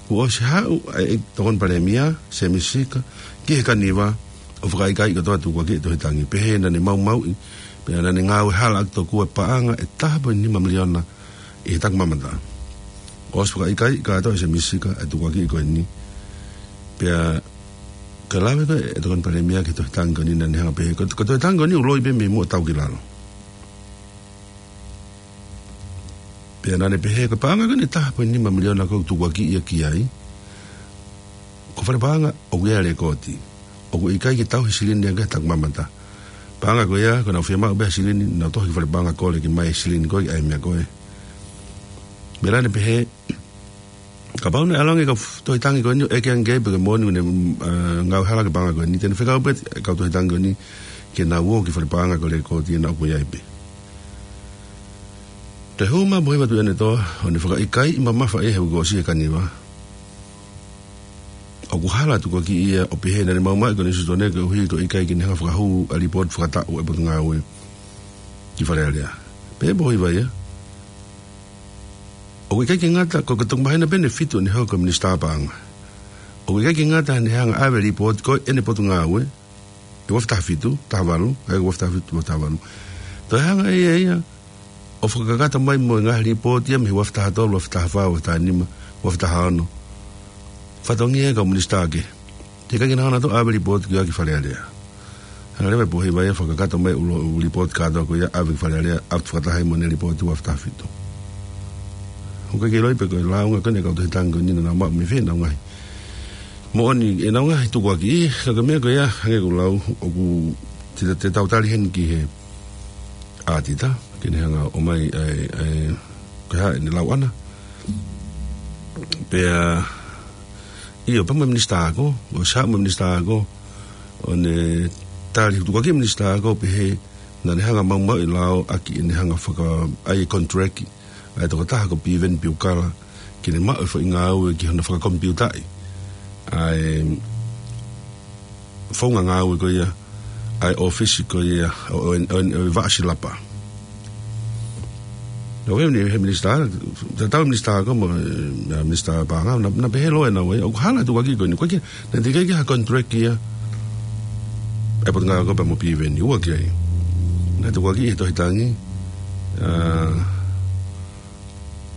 kuo ʻosi haʻu ʻa e Tokoni Palēmia, Sēmisi Sika, ki he kaniva, ʻo fakaʻikaiʻi kotoa e tukuakiʻi e tohi tangi. Pehē naʻa ne maumauʻi, pea naʻa ne ngāue hala ʻaki tokua e paʻanga ʻe taha poini nima miliona ʻi he takimamata. ʻOsi fakaʻikaiʻi kātoa ʻe Sēmisi Sika e tukuakiʻi ko eni. Pea ka lave ko ē e Tokoni Palēmia ki he tohi tangi ko eni naʻa ne hanga ʻo pehē. Ko, ko e tohi tangi ko eni ʻoku loi pē mei muʻa ʻo tau ki lalo. Pea naʻa ne pehē ko e paʻanga ko eni ʻe taha poini nima miliona ko ē ʻoku tukuakiʻi ia ki ai, ko e fale paʻanga ʻoku ʻi ai e lekooti. ʻOku ʻikai ke tauhi silini ange he takimamata. Paʻanga ko ia, ko ʻenau fiemaʻu pē ha silini, nau tohi ki fale paʻanga kole ke ʻomai e silini ko ē ki he meʻa ko ē. Pea naʻa ne pehē, kapau naʻe ʻalu ange e kau f-, tohi tangi ko eni ʻo ʻeke ange ki ai pe ko e moʻoni ʻoku ne, mm, ʻa, ngāue hala ki he paʻanga ko eni, te ne fekau pē e kau tohi tangi ko eni ke nau ō ki fale paʻanga ko e lekooti ʻe naʻa ʻoku ʻi ai pē. Toe hū mai Pohiva Tuʻiʻonetoa, ʻo ne fakaʻikaiʻi mamafa ia he uike kuo ʻosi he kaniva. ʻOku hala e tukuakiʻi ia ʻo pehē naʻa ne maumauʻi e konisitūtone koeʻuhi ko e ʻikai ke ne hanga ʻo fakahū ʻa e lipooti fakataʻu ʻa e Potungāue ki Fale Alea. Pehē ʻe Pohiva ia, ʻoku ʻikai ke ngata, ko e toki māhina pē ʻe fitu ʻene hoko ko e Minisitā Paʻanga, ʻoku ʻikai ke ngata heʻene hanga ʻo ʻave e lipooti ko ē ʻene Potungāue, ʻi he ua afe taha fitu, taha valu, ʻa ia ua afe taha fitu, ua afe taha valu. Toe hanga ʻe ia ia ʻo fakakakato mai mo e ngaahi lipooti ia mei he ua afe taha tolu, ua afe taha fā, ua afe taha nima, ua afe taha ono. Fatongia e kau minisitā kehe. Teʻeki ke nau hanga ʻo ʻave lipooti ki ai ki Fale Alea. Hanga leva e pōhiva ia ʻo fakakakato mai ʻulu, ʻulu lipooti kātoa ko ia ʻave ki Fale Alea, ʻave fakataha mo ʻene lipooti ua afe taha fitu. ʻOku ʻikai ke ʻiloa pe ko e lāunga ko eni e kau tohi tangi ko eni naʻa nau maʻu mei fē ʻenau ngaahi moʻoni, ʻenau ngaahi tukuakiʻi, ka ko e meʻa ko ia, hangē ko e lau, ʻoku te, te tau tali heni ki he ʻātita, ke ne hanga ʻo ʻomai, ʻa e, ʻa e, ko e hā ʻene lau ʻana. Pea, ʻio, pea mo e minisitā ako, ʻosi haʻu mo e minisitā ako, ʻo ne tali tukuakiʻi e minisitā ako, pehē, naʻa ne hanga ʻo maumauʻi e lao ʻaki ʻene hanga ʻo faka-, ʻai e contract, ʻa e tokotaha ko Piveni Piukala, ke ne maʻu e foʻi ngāue ki hono fakakomipiutaʻi ʻa e founga ngāue ko ia, ʻa e ʻōfisi ko ia ʻo, ʻo, ʻo, ʻo e vaʻa silapa. Naʻe ʻi ai e minisitā, tatau minisitā ako mo, ʻa e minisitā paʻanga, naʻa, naʻa pehē loa ʻenau ʻai, ʻoku hala e tukuakiʻi ko eni, ko e ke, naʻe teʻeki ke ʻi ai ha contract ia ʻa e potungāue ako pea mo Piveni, ʻoku ʻikai. Naʻe tukuakiʻi he tohi tangi, ʻa,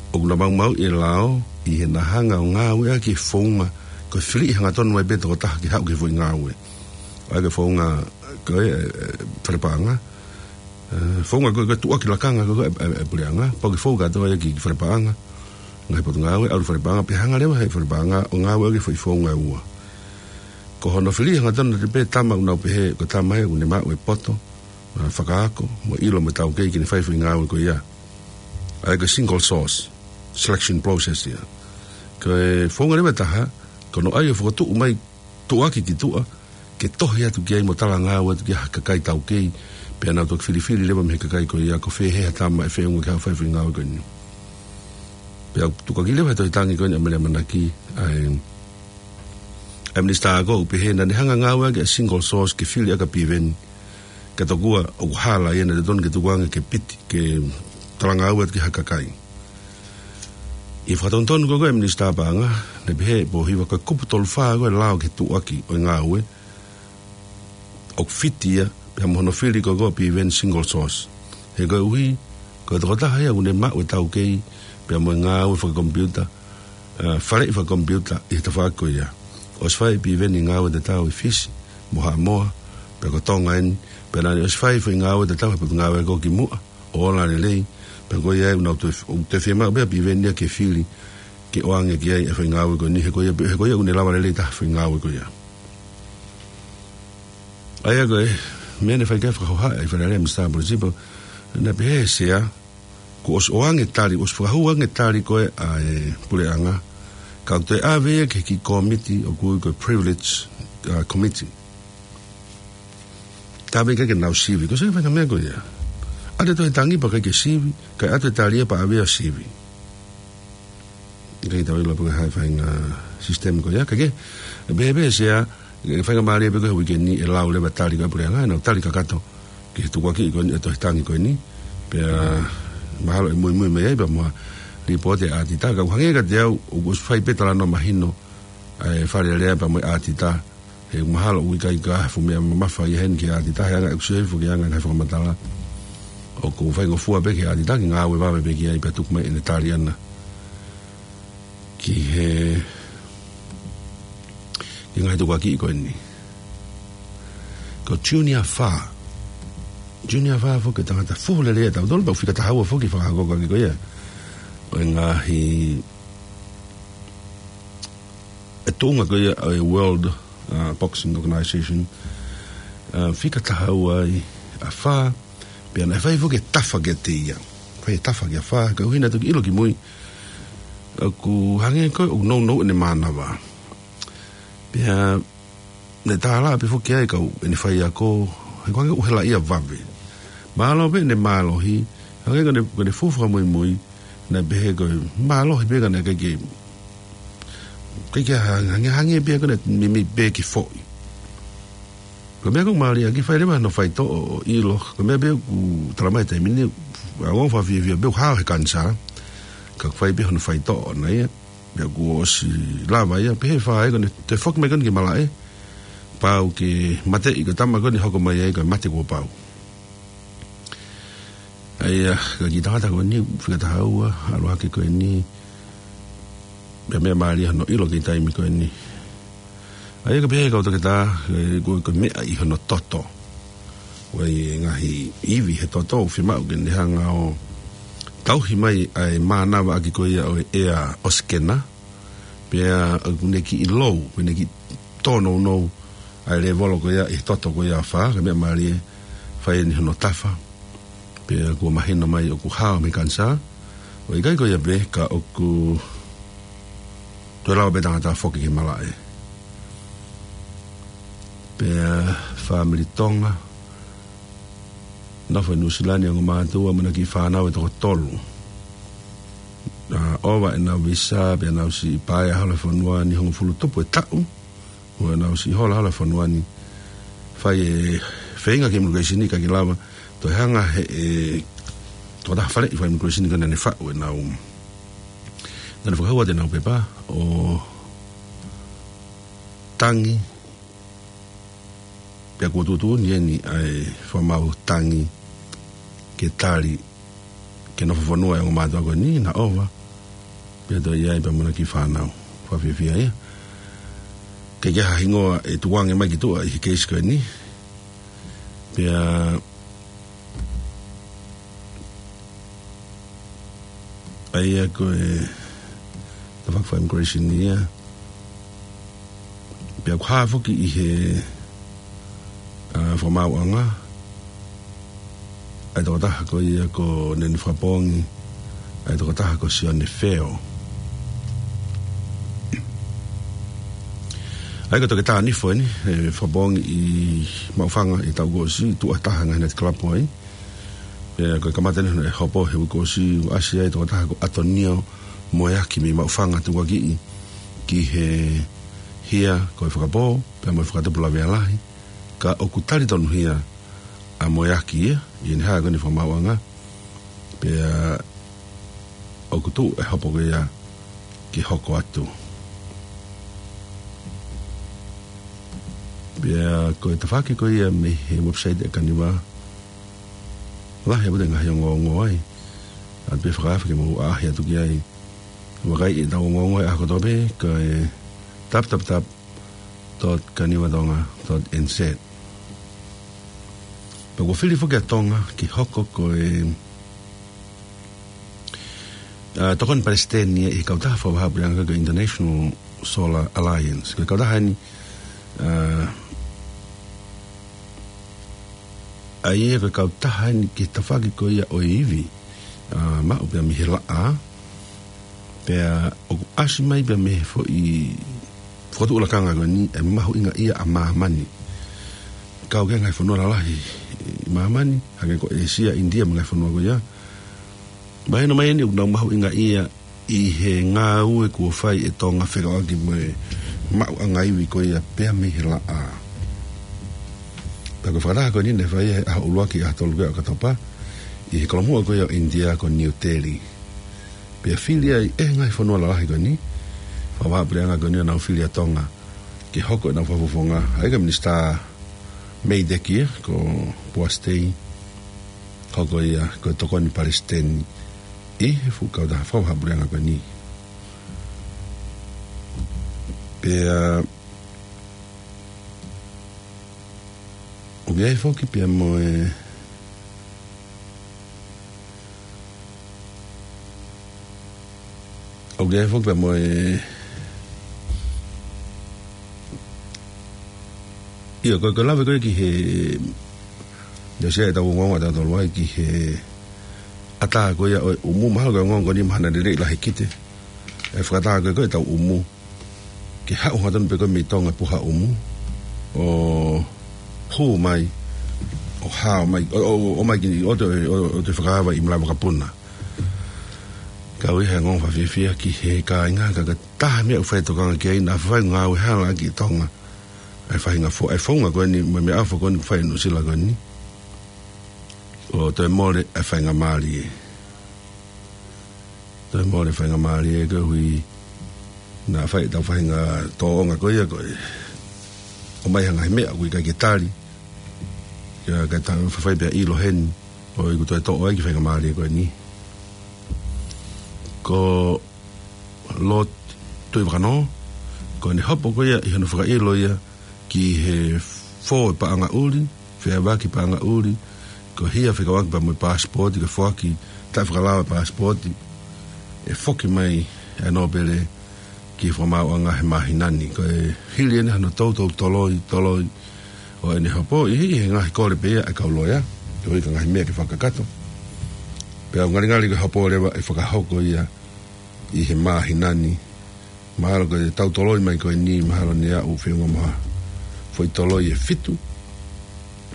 ʻoku na maumauʻi e lao ʻi heʻena hanga ʻo ngāueʻaki e founga, ko e filiʻi hangatonu ai pē tokotaha ke haʻu ki he foʻi ngāue. ʻA ia ko e founga, ko e, ʻe, ʻe, fale paʻanga. ʻE, founga ko e, ko e tuʻuaki lakanga ko e, ʻe, ʻe, ʻe puleʻanga. Pau ke fou kātoa ia ki, ki fale paʻanga. Ngaahi potungāue, ʻalu fale paʻanga, pea hanga leva he fale paʻanga ʻo ngāueʻaki e foʻi founga ʻe ua. Ko hono filiʻi hangatonu ʻe pē tama ʻoku nau pehē, ko e tama ia ʻoku ne maʻu e poto, ʻa, fakaako, mo e ʻilo mo e taukei ke ne fai e foʻi ngāue ko ia. ʻA ia ko e single source selection process ia. Ko e founga leva ʻe taha, ko hono ʻai ʻo fokotuʻu mai tuʻuaki ki tuʻa, ke tohi atu ki ai mo talangāue atu ki ai ha kakai taukei, pea nau toki filifili leva mei he kakai ko ia, ko fē hē ha tama ʻe feʻunga ke haʻu ʻo fai e foʻi ngāue ko eni. Pea tukuakiʻi leva he tohi tangi ko eni ʻa Mele ʻAmanaki, ʻa e, ʻa e minisitā ako ʻoku pehē naʻa ne hanga ʻo ngāueʻaki e single source ke fili ʻaki ʻa Piveni, ka tokua ʻoku hala ia, naʻe totonu ke tukuange ke piti, ke talangāue atu ki ha kakai. ʻI he fakatonutonu ko ē ʻa e minisitā paʻanga, naʻe pehē ʻe he pōhiva ko e kupu tolu fā ko e lao ki he tuʻuaki ʻo e ngāue, ʻoku fiti ia, pea mo hono fili ko ē ʻo Piveni single source. He koeʻuhi, ko e tokotaha ia ʻoku ne maʻu e taukei, pea mo e ngāue fakakomipiuta, ʻa, faleʻi fakakomipiuta ʻi he tafaʻaki ko ia. ʻOsi fai ʻe Piveni ngāue tatau ʻi Fisi, mo Haʻamoa, pea ko Tonga eni, pea naʻa ne ʻosi fai e foʻi ngāue tatau he potungāue ako kimuʻa, ʻo ola lelei, pea ko ia ʻoku nau toe, ʻoku toe fiemaʻu pē ʻa Piveni ia ke fili, ke ʻoange ki ai e foʻi ngāue ko eni, he ko ia, he ko ia ʻoku ne lava lelei taha e foʻi ngāue ko ia. ʻA ia ko e, meʻa naʻe fai ki ai e fakahohaʻa ʻi Fale Alea ʻa e minisitā Polisi pea, naʻe pehē ʻe he sea, kuo ʻosi ʻoange tali, ʻosi fakahū ange tali ko ē ʻa e puleʻanga, ka ʻoku toe ʻave ia ki he kiʻi kōmiti ʻoku ui ko e privilege, ʻa, committee. Taʻe ʻikai ke nau sivi, ko e sio ki he faʻahinga meʻa ko ia. ʻAlu e tohi tangi pea ʻikai ke sivi, kae ʻatu e tali ia pea ʻave ia ʻo sivi. ʻIkai ke tau ʻilo pe ko e hā e faʻahinga system ko ia, ka ke, ʻe pehē pē ʻe he sea, ʻe faingamālie pē ko e uike ni ʻe lau leva e tali ko ē ʻa e puleʻanga, ʻenau tali kakato ki he tukuakiʻi ko eni, e tohi tangi ko eni, pea mahalo ʻe muimui mai ai pea mo ha lipooti ʻa e ʻātita, ka ʻoku hangē kiate au, ʻoku ʻosi fai pē talanoa mahino ʻa e Fale Alea pea mo e ʻātita, he mahalo ʻoku ʻikai ke ʻi ai ha fuʻu meʻa mamafa ia heni ki he ʻātita, he anga ʻeku sio hifo ki he anga e ngaahi fakamatala. ʻOku faingofua pē ki he ʻātita ke ngāue vave pē ki ai pea tuku mai ʻene tali ʻana ki he, ki he ngaahi tukuakiʻi ko eni. Ko Junior Fa. Junior Fa foki ko e tangata fuhu lelei ʻia tautolu, pea ʻoku fika taha ua foki e fakahoko ʻaki ko ia ʻo e ngaahi, e tuʻunga ko ia ʻo e World, uh, Boxing Organization. Uh, fika taha ua ai ʻa Fa, pea naʻe fai foki e tafa kiate ia. Fai e tafa kia Fa, koeʻuhi naʻe toki ʻilo kimui ʻoku hangē ko ē ʻoku nounou ʻene mānava. Pea naʻe tālaʻa pē foki ai e kau ʻene faiako, he ʻoku hangē ʻoku helaʻia vave. Mālō pē ʻene mālohi, hangē ko ʻene, ko ʻene fuʻu fakamuimui, naʻe pehē ko e mālohi pē ka naʻe ʻikai ke, ʻikai ke ha-, hangē, hangē pē ko ʻene meimei pē ke foʻi. Ko e meʻa ʻoku mālie ʻaki, fai leva hono faitoʻo ʻo ʻilo, ko e meʻa pē ʻoku talamai he taimi ni, ʻoku fakafiefia pē ʻoku hao he kanisā, ka ʻoku fai pē hono faitoʻo ʻana ia, pea kuo ʻosi lava ia, pehē ʻe Fa ia ko ʻene toe foki mai ko eni ki malaʻe, pau ke mateʻi ko e tama ko eni ʻe hoko mai ai ko e mate kuo pau. ʻA ia, ka ki he tangata ko eni, fika taha ua, ʻalu hake ko eni, pea meʻa mālie hono ʻilo ki he taimi ko eni. ʻA ia, ka pehē ʻe he kau toketā, ē, ko, ko e meʻa ʻi hono toto. ʻOku ʻi ai e ngaahi ivi he toto, ʻoku fiemaʻu ke ne hanga ʻo tauhi mai ʻa e mānavaʻaki ko ia ʻo e ʻea ʻosikena, pea ʻoku ne kiʻi lou, ʻoku ne kiʻi tōnounou ʻa e lēvolo ko ia ʻi he toto ko ia ʻa fā, ka meʻa mālie, fai eni hono tafa. Pea kuo mahino mai ʻoku hao mei he kanisā. ʻOku ʻikai ko ia pē, ka ʻoku toe lava pē tangata foki ki he malaʻe. Pea fāmili Tonga, nofo ʻi Nuʻusila ni, ongo mātuʻa mo ʻena kiʻi fānau ʻe toko tolu. Naʻa ʻova ʻenau visa, pea nau siʻi paea holo he fonua ni, hongofulu tupu e taʻu. ʻO nau siʻi hola holo he fonua ni, fai e feinga ki he immigration ni, ʻikai ke lava. Toe hanga he, ʻe, tokotaha faleʻi fai immigration ni, ko ʻene faʻu ʻenau, naʻa ne fakahoa atu ʻenau pepa ʻo tangi, pea kuo tuʻutuʻuni eni ʻa e fakamaau tangi ke tali ke nofo fonua e ongo mātuʻa ko eni, naʻa ʻova. Pea toe ʻi ai pea mo ʻena kiʻi fānau. Fakafiefia ia. ʻIkai ke ʻi ai ha hingoa ʻe tukuange mai ki tuʻa ʻi he keisi ko eni. Pea ʻa ia ko e tafaʻaki fai immigration ia. Pea ʻoku hā foki ʻi he, ʻa, fakamaauʻanga ʻa e tokotaha ko ia ko Neni Fakapoongi, ʻa e tokotaha ko Sione Feo. ʻA ia ko e toketā nifo eni, ē, Fakapoongi ʻi Maʻufanga ʻi he taʻu kuo ʻosi, tuʻa taha ngaahi nightclub ai. Pea ko e kamata eni hono hopo he uike kuo ʻosi, ʻasi ai e tokotaha ko ʻAtonio Moeaki mei Maʻufanga, tukuakiʻi ki he hia ko e fakapō, pea mo e fakatupu lavea lahi, ka ʻoku tali tonuhia ʻa Moeaki ia ʻi heʻene hā ko eni fakamaauʻanga. Pea ʻoku tuʻu e hopo ko ia ke hoko atu. Pea ko e tafaʻaki ko ia mei he website ʻa e Kaniva, lahi ʻaupito e ngaahi ongoongo ai. ʻAlu pē fakaafe ke mou ʻaʻahi atu ki ai. Vakai ʻetau ongoongo he ʻaho kotoa pē, ko e tap tap tap dot kanivatonga dot N Z. Pea kuo fili foki ʻa Tonga ke hoko ko e, ʻa, tokoni palesiteni ʻi he kautaha fakavahaʻapuleʻanga ko e International Solar Alliance. Ko e kautaha eni, ʻa, ʻa ia ko e kautaha eni ki he tafaʻaki ko ia ʻo e ivi, ʻa, maʻu pea mei he laʻā, pea ʻoku ʻasi mai pea mei he foʻi fokotuʻu lakanga ko eni e mahuʻingaʻia ʻa māmani. Kau ki he ngaahi fonua lalahi ʻi māmani, hangē ko ʻĒsia, ʻInitia mo e ngaahi fonua ko ia. Mahino mai eni ʻoku nau mahuʻingaʻia ʻi he ngāue kuo fai ʻe Tonga fekauʻaki mo e maʻuʻanga ivi ko ia pea mei he laʻā. Pea ko e fakataha ko eni naʻe fai he ʻaho ʻuluaki ʻaho tolu ko ia ʻo ʻOkatopa, ʻi he kolomuʻa ko ia ʻo ʻInitia ko New Delhi. Pea fili ai ʻe he ngaahi fonua lalahi ko eni, fakavahaʻapuleʻanga ko eni ʻo nau fili ʻa Tonga ke hoko ʻenau fakafofonga, ʻa ia ko e Minisitā Mei Teki ia, ko Poasi Tei, hoko ia ko e tokoni palesiteni ʻi he fuʻu kautaha fakavahaʻapuleʻanga ko eni. Pea ʻoku ʻi ai foki pea mo e, ʻoku ʻi ai foki pea mo e, ʻio, ko e, ko e lave ko ē ki he, ʻio, ʻosi ʻetau ongoongo ʻatautolu ai ki he ʻatā ko ia ʻo e ʻumu, mahalo ko e ongoongo ko eni mahalo naʻe lelei lahi kite. ʻE fakataha ko ē ko ʻetau ʻumu ke haʻu hotau pē ko ē mei Tonga puha ʻumu, ʻo hū mai, ʻo hao mai, ʻo, ʻo, ʻo mai ki, ʻo toe, ʻo, ʻo toe fakaava ʻi malaʻe vakapuna. Kau ʻi he ongoongo fakafiefia ki he kāinga, ka, ka taha meʻa ʻoku fai tokanga ki ai, naʻa fai ngāue hala ki Tonga ʻa e faʻahinga fo-, ʻa e founga ko eni, mo e meʻaʻofa ko eni ʻoku fai ʻi Nuʻusila ko eni, ʻo toe mole ʻa e faingamālie. Toe mole faingamālie koeʻuhi naʻa fai ʻetau faʻahinga tōʻonga ko ia ko e ʻomai ha ngaahi meʻa ʻoku ʻikai ke tali. Ka, ka tau fafai pea ʻilo heni. ʻoku toe toʻo ai ki he faingamālie ko eni. Ko Lord Tuʻivakanō, ko ʻene hopo ko ia ʻi hono fakaʻilo ia ki he fō e paʻanga ʻuli, feʻauaki paʻanga ʻuli, ko e hia fekauʻaki pea mo e paasipooti, ko e foaki taʻefakalao e paasipooti, ʻe foki mai e nōpele ki he fakamaauʻanga he māhina ni. Ko e hili eni hano toutou toloi, toloi ʻo ʻene hopo, ʻi he, ʻi he ngaahi kole pē ia ʻa e kau loea, koeʻuhi ko e ngaahi meʻa ke fakakakato. Pea ʻoku ngalingali ko e hopo leva ʻe fakahoko ia ʻi he māhina ni. Mahalo ko e tau toloi mai ko eni, mahalo ne aʻu feʻunga mo ha foʻi toloi ʻe fitu.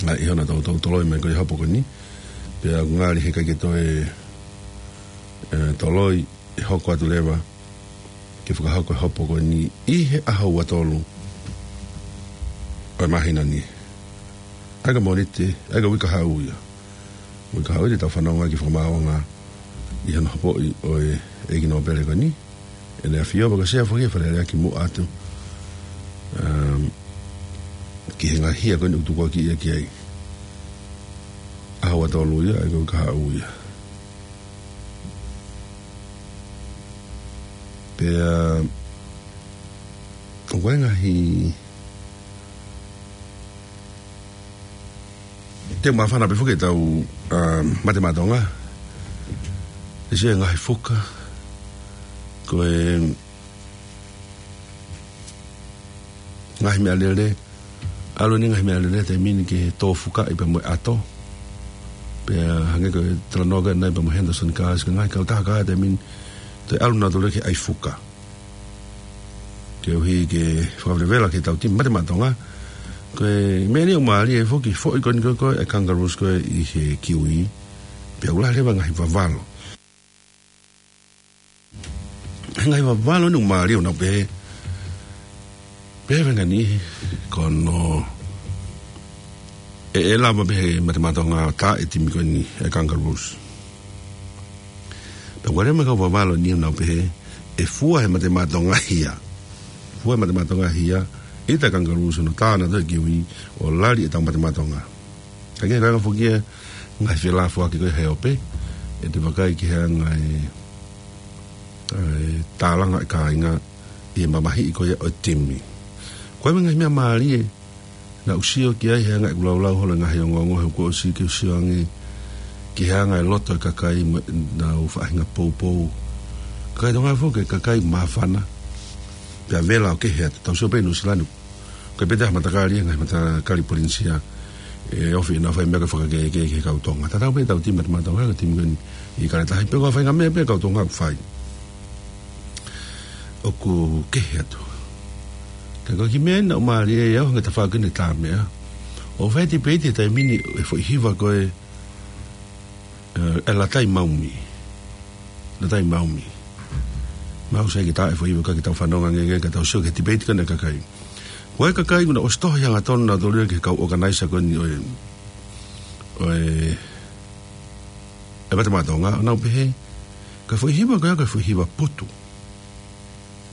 ʻA, ʻi hono toutou toloi mai ko e hopo ko eni. Pea ʻoku ngali heʻikai ke toe, ē, toloi, ʻe hoko atu leva ke fakahoko e hopo ko eni ʻi he ʻaho ua tolu ʻo e māhina ni. ʻA ia ko e Mōnite, ʻa ia ko e uike kahaʻu ia. Uike kahaʻu ia te tau fanongo ai ki he fakamaauʻanga ʻi hono hopoʻi ʻo e ʻEiki Nōpele ko eni. ʻEne ʻafio pea ko e Sea foki ʻa e Fale Alea kimuʻa atu, um, ki he ngaahi hia ko eni ʻoku tukuakiʻi ia ki ai. ʻAho ua tolu ia, ʻa ia ko e uike kahaʻu ia. Pea, ʻoku ʻi ai e ngaahi, te u māfana pē foki ʻetau, um, Mate Maʻa Tonga. ʻE sio e ngaahi fuka, ko e ngaahi meʻa lele, ʻalu eni e ngaahi meʻa lele he taimi ni ke tō fukaʻi pea mo e ʻato. Pea hangē ko e talanoa ko ē ʻanenai pea mo Henderson Cars, ko e ngaahi kautaha ko ia he taimi ni, toe ʻalu nautolu ki he ʻai fuka. Koeʻuhi ke fakavelevela ki heʻetau timi Mate Maʻa Tonga. Ko e meʻa eni ʻoku mālie foki, foʻi ko eni ko ē ʻa e Kangaroos ko ē ʻi he kiwi. Pea ʻoku lahi leva e ngaahi vavalo. He ngaahi vavalo ni ʻoku mālie, ʻoku nau pehē, pehē e faʻahinga niʻihi ko hono ʻe, ʻe lava pē he Mate Maʻa Tonga ʻo tā e timi ko eni ʻa e Kangaroos. Pea ʻoku ʻi ai mo e kau vavalo ni ʻoku nau pehē, ʻe fua he Mate Maʻa Tonga hia. Fua he Mate Maʻa Tonga hia, ʻita e Kangaroos hono tā nautolu e kiwi ʻo lali ʻetau Mate Maʻa Tonga. Ka ke kanga foki e ngaahi felāfoaki ko ē he ope, ʻe te vakai ki he anga e, e tālanga e kāinga ʻi he mamahiʻi ko ia ʻo e timi. Ko e ngaahi meʻa mālie naʻá ku sio ki ai he anga ʻeku laulau holo e ngaahi ongoongo, he kuo ʻosi ke u sio ange ki he anga e loto e kakai mo ʻenau faʻahinga poupou. Kakai Tonga foki, kakai māfana. Pea vela ʻo kehe atu, tau sio pē ʻi Nuʻu Sila ni. Ko e pehē ha matakali, ngaahi matakali Polinisia, ʻe ofi ʻenau fai meʻa ke fakakehekehe ki he kau Tonga. Tatau pē ʻetau timi Mate Maʻa Tonga, ko e timi ko eni ʻi Kaletahi, pe ko ha faʻahinga meʻa pē kau Tonga ʻoku fai, ʻoku kehe atu. Ka ko e kiʻi meʻa eni naʻe mālie ai au he ngaahi tafaʻaki ni ʻo e tā meʻa. ʻOku fai e tipeiti he taimi ni e foʻi hiva ko ē, ē, ʻa e Latai Maumi. Latai Maumi. Mahalo ʻoku sai ke tā e foʻi hiva ka ke tau fanongo ange ke tau sio ki he tipeiti ko eni ʻa e kakai. Ko e kakai ʻoku nau ʻosi tohi hangatonu nautolu ia ki he kau ʻokanaisa ko eni ʻo e, ʻo e, ʻa e Mate Maʻa Tonga, ʻo nau pehē, ko e foʻi hiva ko ia ko e foʻi hiva putu.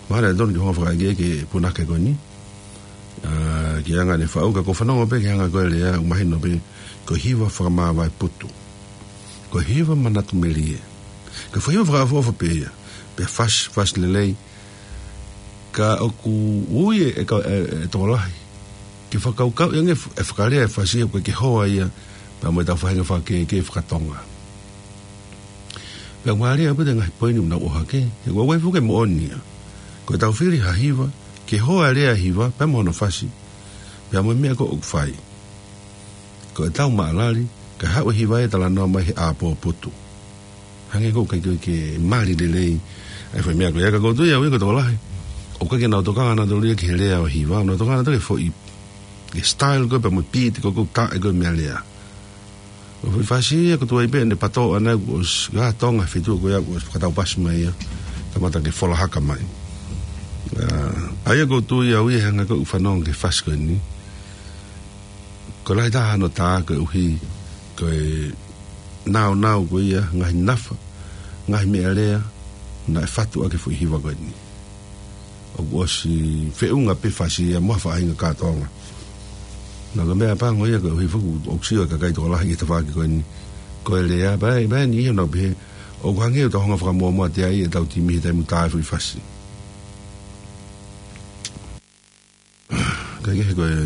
Mahalo ʻe tonu ke u hanga ʻo fakaʻeke ki he punake ko eni. ʻA, ki he anga ʻene faʻu, ka ko e fanongo pē ki he anga ko ē e lea, ʻoku mahino pē ko e hiva fakamāvae putu. Ko e hiva manatu melie. Ko e foʻi hiva fakaʻofoʻofa pē ia. Pea fasi, fasi lelei. Ka ʻoku ui e, e ka-, e, e tokolahi ke fakakaukauʻi ange e fakalea e fasi ia, ʻoku ʻikai ke hoa ia pea mo ʻetau faʻahinga fakakehekehe faka-Tonga. Pea mālie ʻaupito e ngaahi poini ʻoku nau ʻohake, he ʻoku ʻi ai foki e moʻoni ia. Ko ʻetau fili ha hiva, ke hoa e lea hiva pea mo hono fasi, pea mo e meʻa ko ē ʻoku fai. Ko ʻetau maʻalali, ka haʻu e hiva ia ʻo talanoa mai he ʻāpō putu. Hangē ko ē ʻoku ʻikai ke mali lelei ʻa e foʻi meʻa ko ia, ka ʻoku ou tui au ia ko e tokolahi ʻoku ʻikai ke nau tokanga nautolu ia ki he lea ʻo e hiva, nau tokanga nautolu ki he foʻi, ki he style ko ē pea mo e beat ko ē ʻoku taʻe ko ē meʻalea. Ko e foʻi fasi ia ʻoku tuai pē ʻene pato ʻana ʻoku ʻosi, ʻa Tonga fitu ko ia ʻoku ʻosi fakataupasi mai ia. Kamata ke fola haka mai. ʻA, ʻa ia ʻoku ou tui au ia he anga ko ē ʻeku fanongo ki he fasi ko eni. Ko e lahi taha hono tā koeʻuhi ko e naunau ko ia, ngaahi nafa, ngaahi meʻalea naʻe fatu ʻaki e foʻi hiva ko eni. ʻOku ʻosi feʻunga pē fasi ia mo ha faʻahinga kātoanga. Naʻa ko e meʻapango ia koeʻuhi foki ʻoku sio e kakai tokolahi ki he tafaʻaki ko eni. Ko e lea, pea, pea ʻi he ʻaho ni pē, ʻoku hangē ʻoku tau hanga ʻo fakamuʻomuʻa atu ai ʻetau timi he taimi ʻoku tā e foʻi fasi. Kae kehe ko e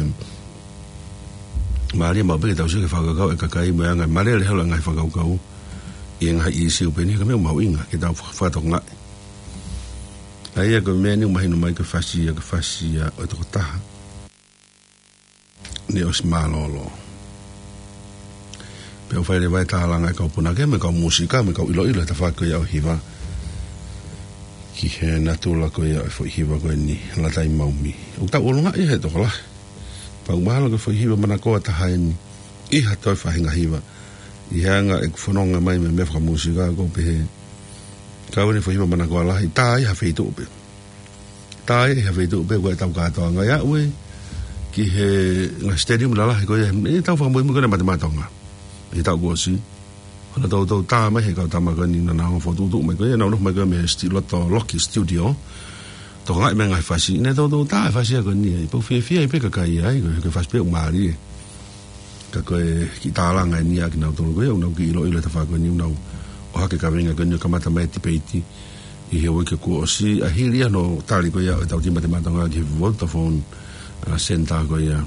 mālie maʻu pē ke tau sio ki he fakakaukau ʻa e kakai mo e anga e malele holo e ngaahi fakakaukau ʻi he ngaahi ʻīsiu pehē ni, ka ko e meʻa mahuʻinga ke tau faka-, fakatokangaʻi. ʻA ia ko e meʻa ni ʻoku mahino mai ko e fasi ia, ko e fasi ia ʻo e tokotaha naʻe ʻosi mālōlō. Pea ʻoku fai leva e tālanga ʻa e kau punake mo e kau mūsika mo e kau ʻiloʻilo he tafaʻaki ko ia ʻo e hiva ki he natula ko ia ʻo e foʻi hiva ko eni, Lata ʻi Maumi. ʻOku tau ʻulungaʻi he tokolahi. Pea ʻoku mahalo ko e foʻi hiva manakoa taha eni ʻi ha toe faʻahinga hiva. ʻI he anga ʻeku fononga mai mo e meʻa fakamūsika, ʻoku ou pehē, ka ko e foʻi hiva manakoa lahi, tā ia ʻi ha feituʻu pē. Tā ia ʻi ha feituʻu pē ko e tau kātoanga ia ʻoku ʻi ai ki he ngaahi stadium lalahi ko ia, ʻi he taʻu fakamuimui ko ena ʻa e Matematonga. ʻI he taʻu kuo ʻosi. Naʻe toutou tā mai he kau tama ko eni naʻa nau fokotuʻutuʻu mai ko ia, naʻa nau nofo mai ko ia mei he sti-, loto loki studio. Tokangaʻi mai e ngaahi fasi, naʻe toutou tā e fasi ia ko eni ai. Pea ʻoku fiefia ai pē kakai ai, ko e, ko e fasi pē ʻoku mālie. Ka ko e kiʻi tālanga eni ʻa kinautolu ko ia, ʻoku nau kiʻi ʻiloʻilo he tafaʻaki ko eni, ʻoku nau ʻohake e kaveinga ko eni ʻo kamata mai e tipeiti ʻi he uike kuo ʻosi, ʻa e hili ia hono tali ko ia ʻo ʻetau timi Matematonga ki he Vodafone, ʻa, Center ko ia,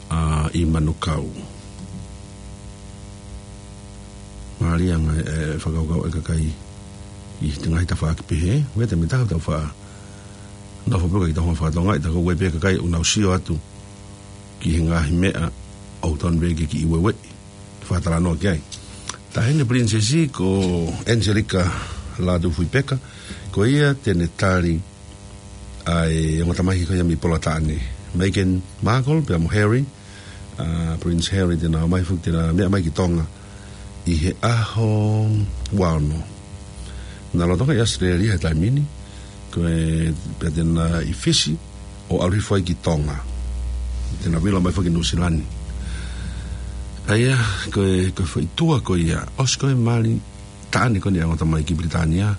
ʻa, ʻi Manukau. Mālie e ngaahi, e, fakakaukau ʻa e kakai ʻi he ngaahi tafaʻaki pehē, ʻoku ʻi ai e taimi ʻe taha ʻoku tau faʻa nofo pē ʻo ʻikai ke tau hanga ʻo fakatonga, ʻi he taimi ko ē pē kakai ʻoku nau sio atu ki he ngaahi meʻa ʻoku totonu pē ke kiʻi ueue, fakatalanoa ki ai. Taʻahine Pilinisesi ko Angelica Lātūfuipeka, ko ia te ne tali ʻa e ongo tamaiki ko ia mei Polataʻane, Meghan Markle pea mo Harry, ʻa, Prince Harry te ne ō mai foki, te ne meʻa mai ki Tonga ʻi he ʻaho ua ono. Naʻe lolotonga ʻi ʻAositelēlia he taimi ni, ko e pea te ne ʻi Fisi ʻo ʻalu hifo ai ki Tonga. Te ne vilo mai foki ki Nuʻusila ni. ʻA ia, ko e, ko e foʻi tour ko ia, ʻosi ko e mali taʻane ko eni ʻa e ongo tamaiki Pilitānia,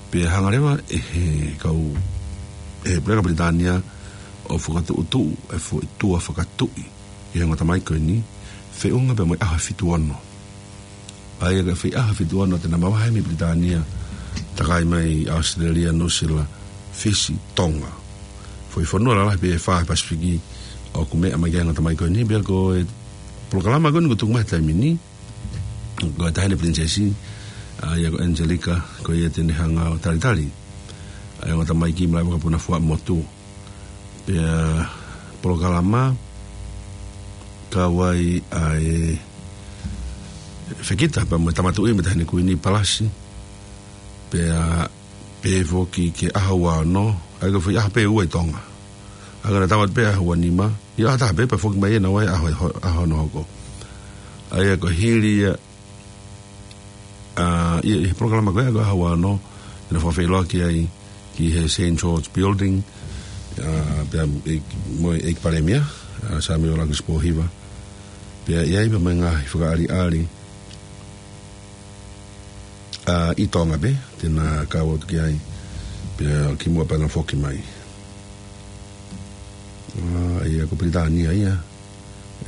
pea hanga leva ʻe he kau, ʻe he Puleʻanga Pilitānia ʻo fakatuʻutuʻu e foʻi tour fakatuʻi ʻi he ongo tamaiki ko eni, feʻunga pea mo e ʻaho fitu ono. ʻA ia ko e foʻi ʻaho fitu ono te ne mavahe mei Pilitānia, takai mai ʻAositelēlia, Nuʻusila, Fisi, Tonga. Foʻi fonua lalahi pē ʻe fā he Pasifiki ʻoku meʻa mai ki ai e ongo tamaiki ko eni, pea ko e polokalama ko eni kuo tuku mai he taimi ni, ko e Taʻahine Pilinisesi, ʻa ia ko Angelica, ko ia te ne hanga ʻo talitali ʻa e ongo tamaiki mo e lava kapuna fuaʻamotu. Pea polokalama kau ai ʻa e fekita pea mo e Tama Tuʻi mo e Taʻahine Kuini Palasi. Pea pehē foki ki he ʻaho ua ono, ʻa ia ko e foʻi ʻaho pē ʻe ua ʻi Tonga. ʻA ia ko ʻena tau atu pē ʻaho ua nima, ʻi he ʻaho ʻe taha pē pea foki mai ʻe naua he ʻaho, ʻaho hono hoko. ʻA ia ko e hili ia, ʻa, ʻi, ʻi he polokalama ko ia ko e ʻaho ua ono, te ne fakafeʻiloaki ai ki he Saint George Building, ʻa, pea ʻi, mo e ʻEiki Palēmia, ʻa, Samiuela ʻAkilisi Pōhiva. Pea ʻi ai pea mo e ngaahi fakaʻaliʻali, ʻa, ʻi Tonga pē, te ne kau atu ki ai, pea kimuʻa pea ne foki mai. ʻA, ʻa ia ko Pilitānia ia,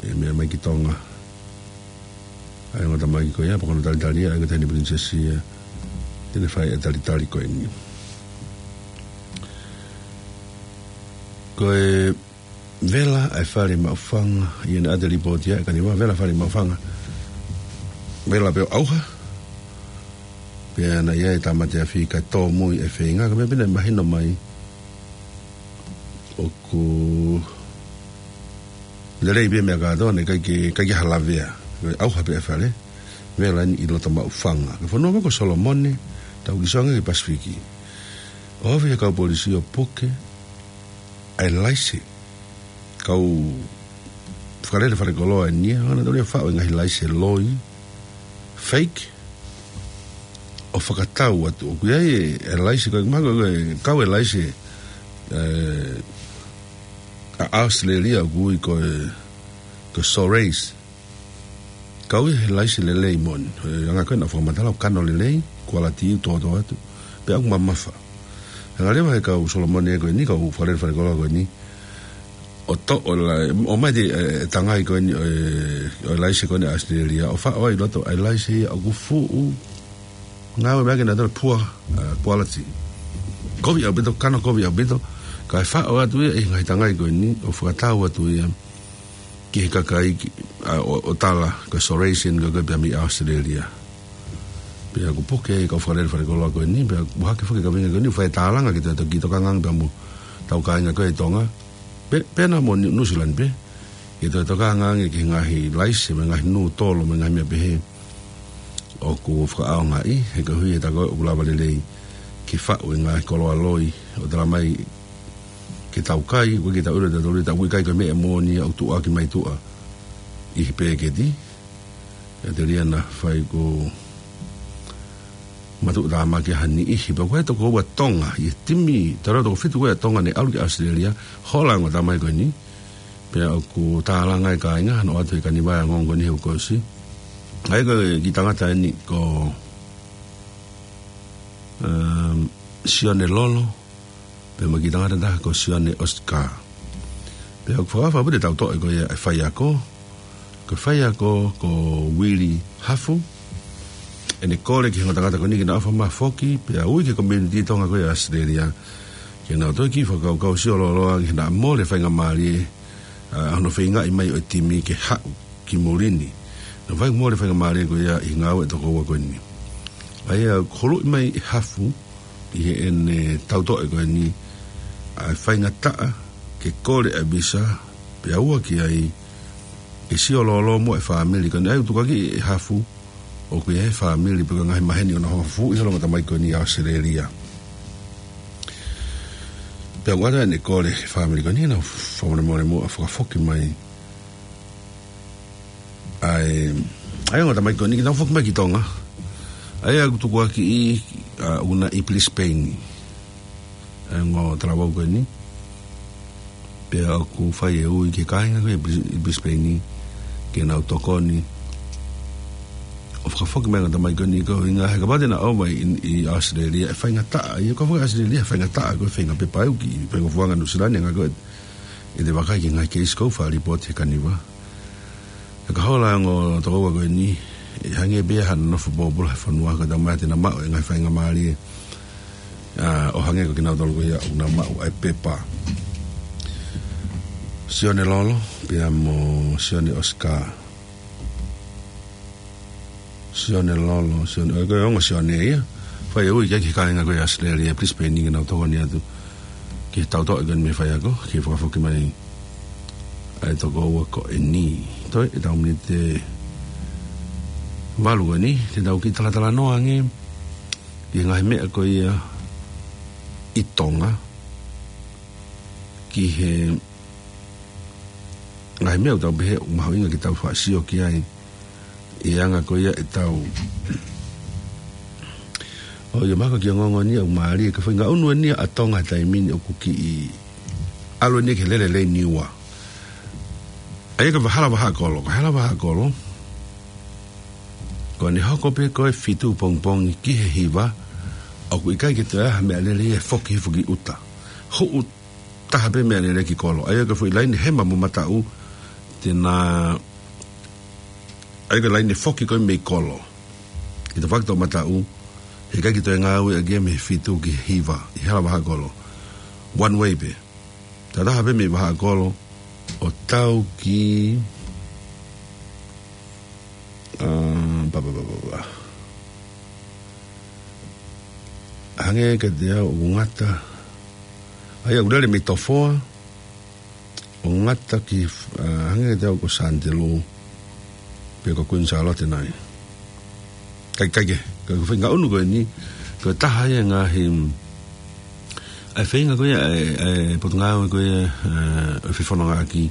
ʻe meʻa mai ki Tonga ʻa e ongo tamaiki ko ia, pea ko hono talitali ia, ʻa ia ko e Taʻahine Pilinisesi ia, te ne fai e talitali ko eni. Ko e vela ʻa e Fale Maʻufanga, ʻi heʻene ʻate lipooti ʻa e kaniva, vela Fale Maʻufanga. Vela pē ʻo ʻauha, pea naʻe ʻi ai e tāmate afi kae tōmui e feinga, ka ko e meʻa pē naʻe mahino mai, ʻoku lelei pē meʻa kātoa, naʻe ʻikai ke, ʻikai ke ha lavea. Ko e ʻauha pē e fale, vela eni ʻi loto Maʻufanga. Ko e fonua ko Solomone, tau kisoange ki Pasifiki. ʻOku ʻi ai e kau polisi ʻo puke ʻa e laise. Kau fakalele falekoloa eni ia, ʻa ia naʻa nau faʻu e ngaahi laise loi, fake, ʻo fakatau atu. ʻOku ʻi ai e, e laise ko e, mahalo ko e kau e laise, ʻe, ʻa ʻAositelēlia ʻoku ui ko e, ko e Solace. Kau ia he laise lelei moʻoni. He anga ko ē naʻa fakamatala ʻoku kano lelei, kualiti tōtōatu, pea ʻoku mamafa. Hanga leva he kau Solomone ko eni, kau fakalele falekoloa ko eni, ʻo toʻo e la-, ʻomai e, e tangai ko eni ʻo e, ʻo e laise ko eni ʻa ʻAositelēlia, ʻo faʻo ai ʻi loto ʻa e laise ia ʻoku fuʻu ngāue mai ʻaki ʻenautolu e poor, uh, quality. Kovi ʻaupito, kano kovi ʻaupito, kae faʻo atu ia ʻi he ngaahi tangai ko eni, ʻo fakatau atu ia ki he kakai ki, ʻa, ʻo, ʻo tala, ko e Salesian ko ē pea mei ʻAositelēlia. Pea ʻoku puke e kau fakalele falekoloa ko eni, pea ʻoku hake foki e kaveinga ko eni, ʻo fai e tālanga ki he toki tokanga ange pea mo ʻetau kāinga ko ē ʻi Tonga. Pē, pē naʻa mo Niu, New Zealand pē. Ki he toki tokanga ange ki he ngaahi laise, mo e ngaahi nūtolo, mo e ngaahi meʻa pehē. ʻOku fakaʻaongaʻi, he koeʻuhi he tā ko ē ʻoku lava lelei ke faʻu e ngaahi koloa loi, ʻo tala mai ke tau kai, ʻoku ʻikai ke tau ʻilo ʻe tautolu ia, tā ʻoku ʻikai ko e meʻa moʻoni ia ʻoku tuʻuaki mai tuʻa ʻi he pēketi. ʻIo, telia naʻa fai ko matuʻutāmaki ha niʻihi. Pea ko e tokoua Tonga, ʻi he timi, tala toko fitu ko ē ʻa Tonga ne ʻalu ki ʻAositelēlia, hola e ongo tamai ko eni. Pea ʻoku tālanga e kāinga, hano ʻoatu he kaniva e ongoongo ko eni he kuo ʻosi. ʻA ia ko e kiʻi tangata eni ko, um, Sione Lolo, pea mo e kiʻi tangata ʻe taha ko Sione Oscar. Pea ʻoku fakaʻaongaʻi ʻaupito e tautoʻe ko ia e faiako, ko e faiako ko Uili Hafu, ʻene kole ki he ongo tangata ko eni ke na ʻofa mai foki, pea ui ki he community Tonga ko ē ʻi ʻAositelēlia, ke nau toe kiʻi fakakaukau sio lōloa ange he naʻa mole e faingamālie, ʻa, hono feingaʻi mai ʻo e timi ke haʻu ki muli ni. Naʻe fai mole e faingamālie ko ia ʻi he ngāue ʻa e tokoua ko eni. ʻA ia, huluʻi mai ʻe Hafu, ʻi heʻene tautoʻe ko eni, ʻa e faingataʻa ke kole ʻa e visa, pea ua ki ai, ke sio lōloa mo e fāmili ko eni. ʻA ia, ʻoku tukuakiʻi ʻe Hafu, ʻoku ʻi ai e fāmili pe ko e ngaahi maheni ʻoku nau hanga ʻo fufū ʻi he ongo tamai ko eni ʻi ʻAositelēlia. Pea ʻoku ʻata ʻene kole ki he fāmili ko eni, naʻa nau fakamolemole muʻa ʻo fakafoki mai ʻa e, ʻa e ongo tamai ko eni ke nau foki mai ki Tonga. ʻA ia ʻoku tukuakiʻi, ʻa, ʻoku na ʻi Brisbane. ʻA e ongo talavou ko eni. Pea ʻoku fai e ui ki he kāinga ko ē ʻi Bris-, ʻi Brisbane ke nau tokoni ʻo fakafoki mai e ongo tamai ko eni, koeʻuhinga he kapau te na ō mai ʻi, ʻi ʻAositelēlia, ʻe faingataʻa. ʻA ia ko e fakaʻAositelēlia, ʻe faingataʻa ko e feinga pepa ʻoku ʻi he feinga fuanga Nuʻusila ni, hangē ko e ʻi he vakai ki he ngaahi keisi ʻoku faʻa lipooti he kaniva. Ka hola e ongo tokoua ko eni, ʻe hangē pē ia hano nofo pōpula he fonua, ka tau mai te na maʻu e ngaahi faingamālie, ʻa, ʻo hangē ko kinautolu ko ia ʻoku nau maʻu ʻa e pepa. Sione Lolo, pea mo Sione Oscar. Sione Lolo, Sione, ʻa ia ko e ongo Sione ia. Fai e ui ki he kāinga ko ē ʻi ʻAositelēlia, Brisbane, ke nau tokoni atu ki he tautoʻe ko eni mei he faiako, ke fakafoki mai ʻa e tokoua ko eni. Toe, ʻetau miniti ʻe valu ko eni, te tau kiʻi talatalanoa ange ki he ngaahi meʻa ko ia ʻi Tonga, ki he ngaahi meʻa ʻoku tau pehē ʻoku mahuʻinga ke tau faʻa sio ki ai, ʻi he anga ko ia ʻetau, ʻo ia mahalo ko e kiʻi ongoongo eni ʻoku mālie, ko e faʻahinga ʻunu eni ʻa Tonga he taimi ni ʻoku kiʻi ʻalu eni ki he lele Niua. ʻA ia ko e hala vahaʻa kolo, ko e hala vahaʻa kolo, ko ʻene hoko pē ko e fitu pongipongi ki he hiva, ʻoku ʻikai ke toe ʻi ai ha meʻalele ia ʻe foki hifo ki ʻuta. Huʻu taha pē meʻalele ki kolo. ʻA ia ko e foʻi laine hema mo mataʻu, te na, ʻa ia ko e laine foki ko ē mei kolo. ʻI he fakatau mataʻu, heʻikai ke toe ngāueʻaki ia mei he fitu ki he hiva, ʻi he hala vahaʻa kolo. One way pē. Tataha pē mei vahaʻa kolo, ʻo tau ki, ʻa, pa, pa, pa, pa, pa. Hangē kiate au ʻoku ngata. ʻA ia ʻoku lele mei Tofoa, ʻo ngata ki, ʻa, hangē kiate au ko Sanitelō, pe ko Queen Charlotte nai. Kae, kae kehe, ko e faʻahinga ʻunu ko eni, ko e taha ia e ngaahi, ʻa e feinga ko ia, ʻa e, ʻa e potungāue ko ia, ʻa e fefonongaʻaki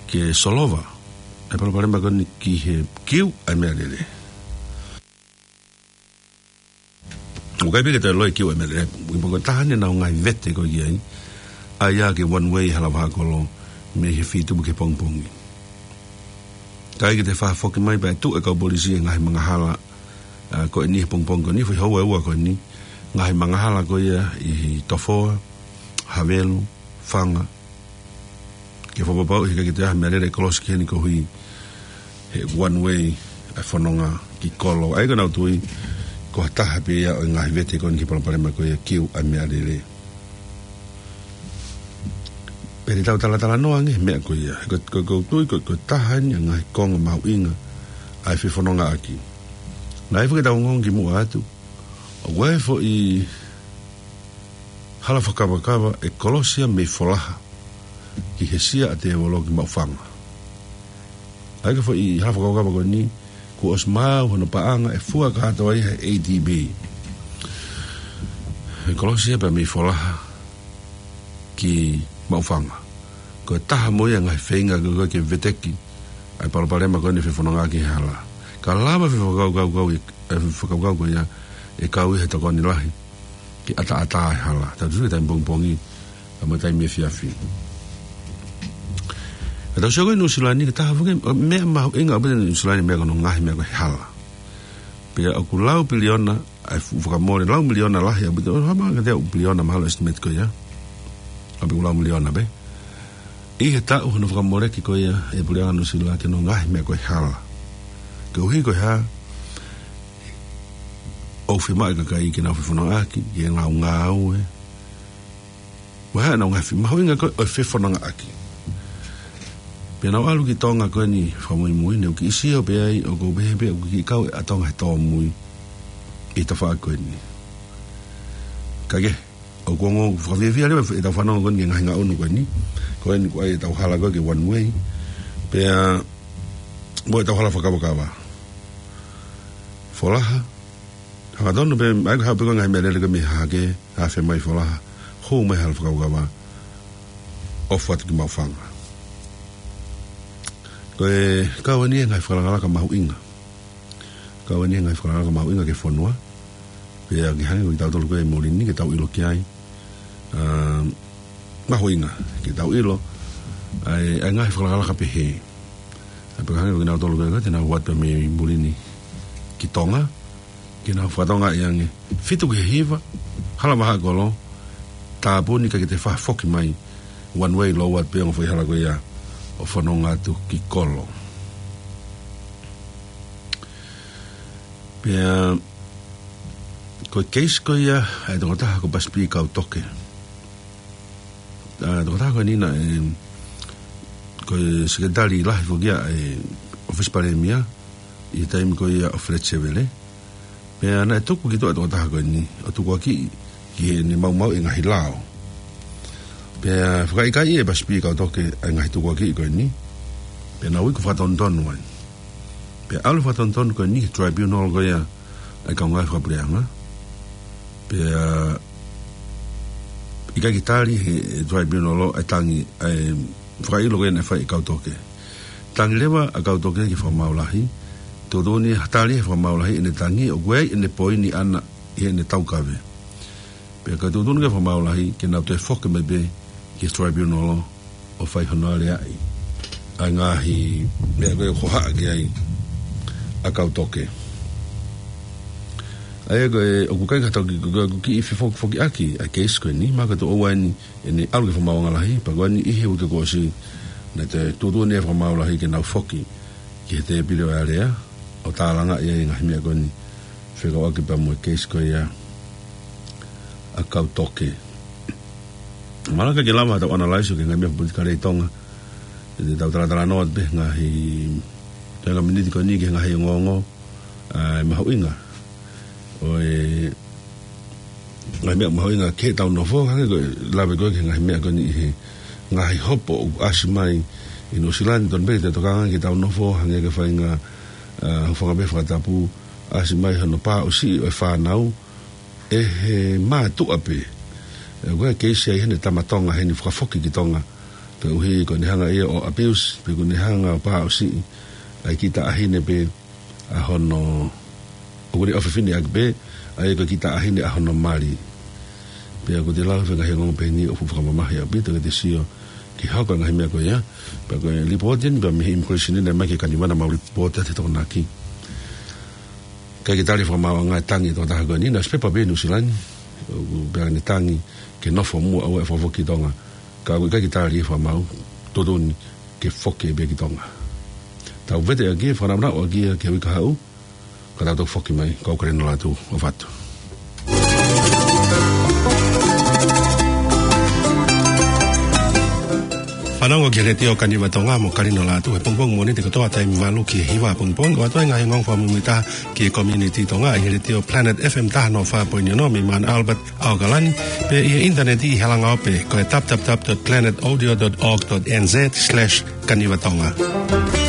ke solova ʻa e palopalema ko eni ki he kiu ʻa e meʻalele. ʻOku ʻikai pē ke toe loi kiu ʻa e meʻalele, ʻi he poko taha ni naʻa nau ngaahi vete ko ē ki ai, ʻa ia ke one way hala vahaʻa kolo mei he fitu ki he pongipongi. Kae kehe te faʻa foki mai pea tuʻu e kau polisi he ngaahi mangahala, ʻa, ko eni he pongipongi ko eni, foʻi houa ʻe ua ko eni, ngaahi mangahala ko ia ʻi Tofoa, Havelu, Faga, ke fakapapauʻi he ʻikai ke toe ʻi ai ha meʻalele ʻe kolosi ki heni koeʻuhi he one way ʻa e fononga ki Kolo. ʻA ia ko ʻenau tui ko ha taha pē ia ʻo e ngaahi vete ko eni ki he palopalema ko ia ʻoku ʻi ai ʻa e meʻalele. Pea te tau talatalanoa ange he meʻa ko ia. Ko, ko, ko e tui ko, ko e taha eni ʻa e ngaahi konga mahuʻinga ʻa e fefonongaʻaki. Naʻe ʻi ai foki ʻetau ongoongo kimuʻa atu, ʻoku ʻi ai e foʻi hala fakakavakava ʻe kolosi ia mei Folaha ki he sia ʻa Tēvolo ki Maʻufanga. ʻA ia ko e foʻi hala fakakavakava ko eni, kuo ʻosi maau hono paʻanga, ʻe fua kātoa ia he A D B. ʻE kolosi ia pea mei Folaha ki Maʻufanga. Ko e taha mo ia e ngaahi feinga ko ē ke veteki ʻa e palopalema ko eni fefonongaʻaki he hala. Ka lava e fefakakaukau, kau i, e fefakakaukau ko ia ʻe kau ia he tokoni lahi ke ʻataʻatā e hala. Tau tuʻu ki he taimi pongipongi, ka mo e taimi efiafi. Ka tau sio ko ē ʻi Nuʻusila ni, ko e taha foki e meʻa mahuʻinga ʻaupito ʻi Nuʻusila ni, meʻa ko hono ngaahi meʻa ko e hala. Pea ʻoku lau piliona ʻa e fuʻu fakamole, lau miliona lahi ʻaupito, ʻo hama ka te au piliona mahalo estimate ko ia. ʻAupito ʻoku lau miliona pē. ʻI he taʻu hono fakamoleki ko ia ʻe he puleʻanga Nuʻusila ki hono ngaahi meʻa ko e hala. Koeʻuhi ko e hā? ʻOku fiemaʻu e kakai ke nau fefonongaʻaki, ke nau ngāue. Ko e hā ʻenau ngaahi fi-, mahuʻinga ko ē ʻo e fefonongaʻaki. Pea nau ʻalu ki Tonga ko eni fakamuimui, ne u kiʻi sio pē ai, ʻoku ou pehē pē ʻoku kiʻi kau ʻa Tonga he tōmui ʻi he tafaʻaki ko eni. Ka ke, ʻoku ongo fakafiefia leva ʻetau fanongo ko eni ki he ngaahi ngaʻunu ko eni. Ko eni ko ē ʻetau hala ko ē ki he one way. Pea mo ʻetau hala fakakavakava. Folaha. Hangatonu pē, ʻa ia ko e haʻu pē ko e ngaahi meʻalele ko ē mei Hahake, afe mai Folaha. Hū mai hala fakakavakava. ʻOfa atu ki Maʻufanga. Ko e kau eni e ngaahi fakalakalaka mahuʻinga. Kau eni e ngaahi fakalakalaka mahuʻinga ki he fonua. Pea ke hangē ko kitautolu ko ē ʻi muli ni ke tau ʻilo ki ai. ʻA, mahuʻinga ke tau ʻilo ʻa e, ʻa e ngaahi fakalakalaka pehē. ʻA ia pea ke hangē ko kinautolu ko ē te nau ō atu mei muli ni ki Tonga, ke nau fakatonga ʻi ange. Fitu ki he hiva, hala vahaʻa kolo, tāpuni ka ke te faʻa foki mai. One way lōua pē ongo foʻi hala ko ia ʻo fononga atu ki Kolo. Pea ko e keisi ko ia ʻa e tokotaha ko Pasipi Kautoke. ʻA e tokotaha ko eni naʻe, ko e sekelitali lahi foki ia ʻa e ʻOfisi Palēmia ʻi he taimi ko ia ʻo Feleti Sevele. Pea naʻe tuku ki tuʻa e tokotaha ko eni ʻo tukuakiʻi ki heʻene maumauʻi e ngaahi lao. Pea fakaʻikaiʻi ʻe Pasipi Kautoke ʻa e ngaahi tukuakiʻi ko eni. Pea nau iku fakatonutonu ai. Pea ʻalu fakatonutonu ko eni ki he tribunal ko ia ʻa e kau ngāue fakapuleʻanga. Pea ʻikai ke tali ʻe he tribunal ʻa e tangi, ʻa e fakaʻilo ko ia naʻe fai ʻe Kautoke. Tangi leva ʻa Kautoke ki he Fakamaau Lahi. Tuʻutuʻuni ʻe he tali ʻe he Fakamaau Lahi ʻene tangi, ʻoku ʻi ai ʻene poini ʻana ʻi heʻene taukave. Pea ka tuʻutuʻuni ki he Fakamaau Lahi ke nau toe foki mai pē ki he tribunal ʻo fai hono aleaʻi ʻa e ngaahi meʻa ko ē ʻoku hohaʻa ki ai ʻa Kautoke. ʻA ia ko e, ʻoku ʻikai ke tau ki, ko, ko, ko e kiʻi fefokifokiʻaki ʻa e keisi ko eni, mahalo ko e tuʻo ua eni ʻene ʻalu ki he Fakamaauʻanga Lahi, pea ko eni ʻi he uike kuo ʻosi, naʻe tuʻutuʻuni ʻe he Fakamaau Lahi ke nau foki ki he tēpile ʻo e alea, ʻo tālangaʻi ai e ngaahi meʻa ko eni fekauʻaki pea mo e keisi ko ia ʻa Kautoke. Mahalo ʻikai ke lava ʻetau analyze ʻo e ngaahi meʻa politikale ʻi Tonga. Te tau talatalanoa pē ngaahi, te ngaahi miniti ko eni ki he ngaahi ongoongo, ʻa e mahuʻinga ʻo e ngaahi meʻa mahuʻinga ki heʻetau nofo, hangē ko e lave ko ē ki he ngaahi meʻa ko eni ʻi he ngaahi hopo ʻoku ʻasi mai ʻi Nuʻusila ni, tonu pē ke tokanga ki heʻetau nofo, hangē ko e faʻahinga, ʻa, hūfanga pē he fakatapu, ʻasi mai hono pāʻusiʻi ʻo e fānau ʻe he mātuʻa pē. ʻE, ko e keisi ʻa ʻene tama Tonga heni fakafoki ki Tonga. Koeʻuhi ko ʻene hanga ia ʻo abuse, pe ko ʻene hanga ʻo pāʻusiʻi ʻa e kiʻi taʻahine pē ʻa hono, ʻoku ne ʻofefine ʻaki pē, ʻa ia ko e kiʻi taʻahine ʻa hono mali. Pea ʻoku te lau e ngaahi ongoongo pehē ni ʻoku fakamamahi ʻaupito ke te sio ki he hoko e ngaahi meʻa ko ia. Pea ko e lipooti eni pea mei he immigration eni naʻe ʻomai ki he Kanivana, mau lipooti atu he Tokonaki. ʻIkai ke tali ʻe he Fakamaauʻanga e tangi ʻa e tokotaha ko eni, naʻe ʻosi pepa pē ʻi Nuʻusila ni, ʻo pehē ʻene tangi ke nofo muʻa ʻaua ʻe fakafoki ki Tonga. Ka ʻoku ʻikai ke tali ʻe he Fakamaau Totonu ke foki pē ki Tonga. Tau vete ʻaki, fakanaunau ʻaki ia ki he uike kahaʻu, ka tau toki foki mai, ko au Kalino Lātū, ʻofa atu. Fanongo ki he Letiō Kaniva Tonga mo Kalino Lātū he pongipongi Mōnite kotoa taimi valu ki he hiva pongipongi, ʻo ʻoatu ai e ngaahi ongo fakamuimuitaha ki he community Tonga ʻi he Letiō Planet F M taha noa fā poini ono mei Mount Albert, ʻAokalani, pea ʻi he ʻinitaneti ʻi he langaope, ko e W W W dot planet audio dot org dot N Z slash Kaniva Tonga.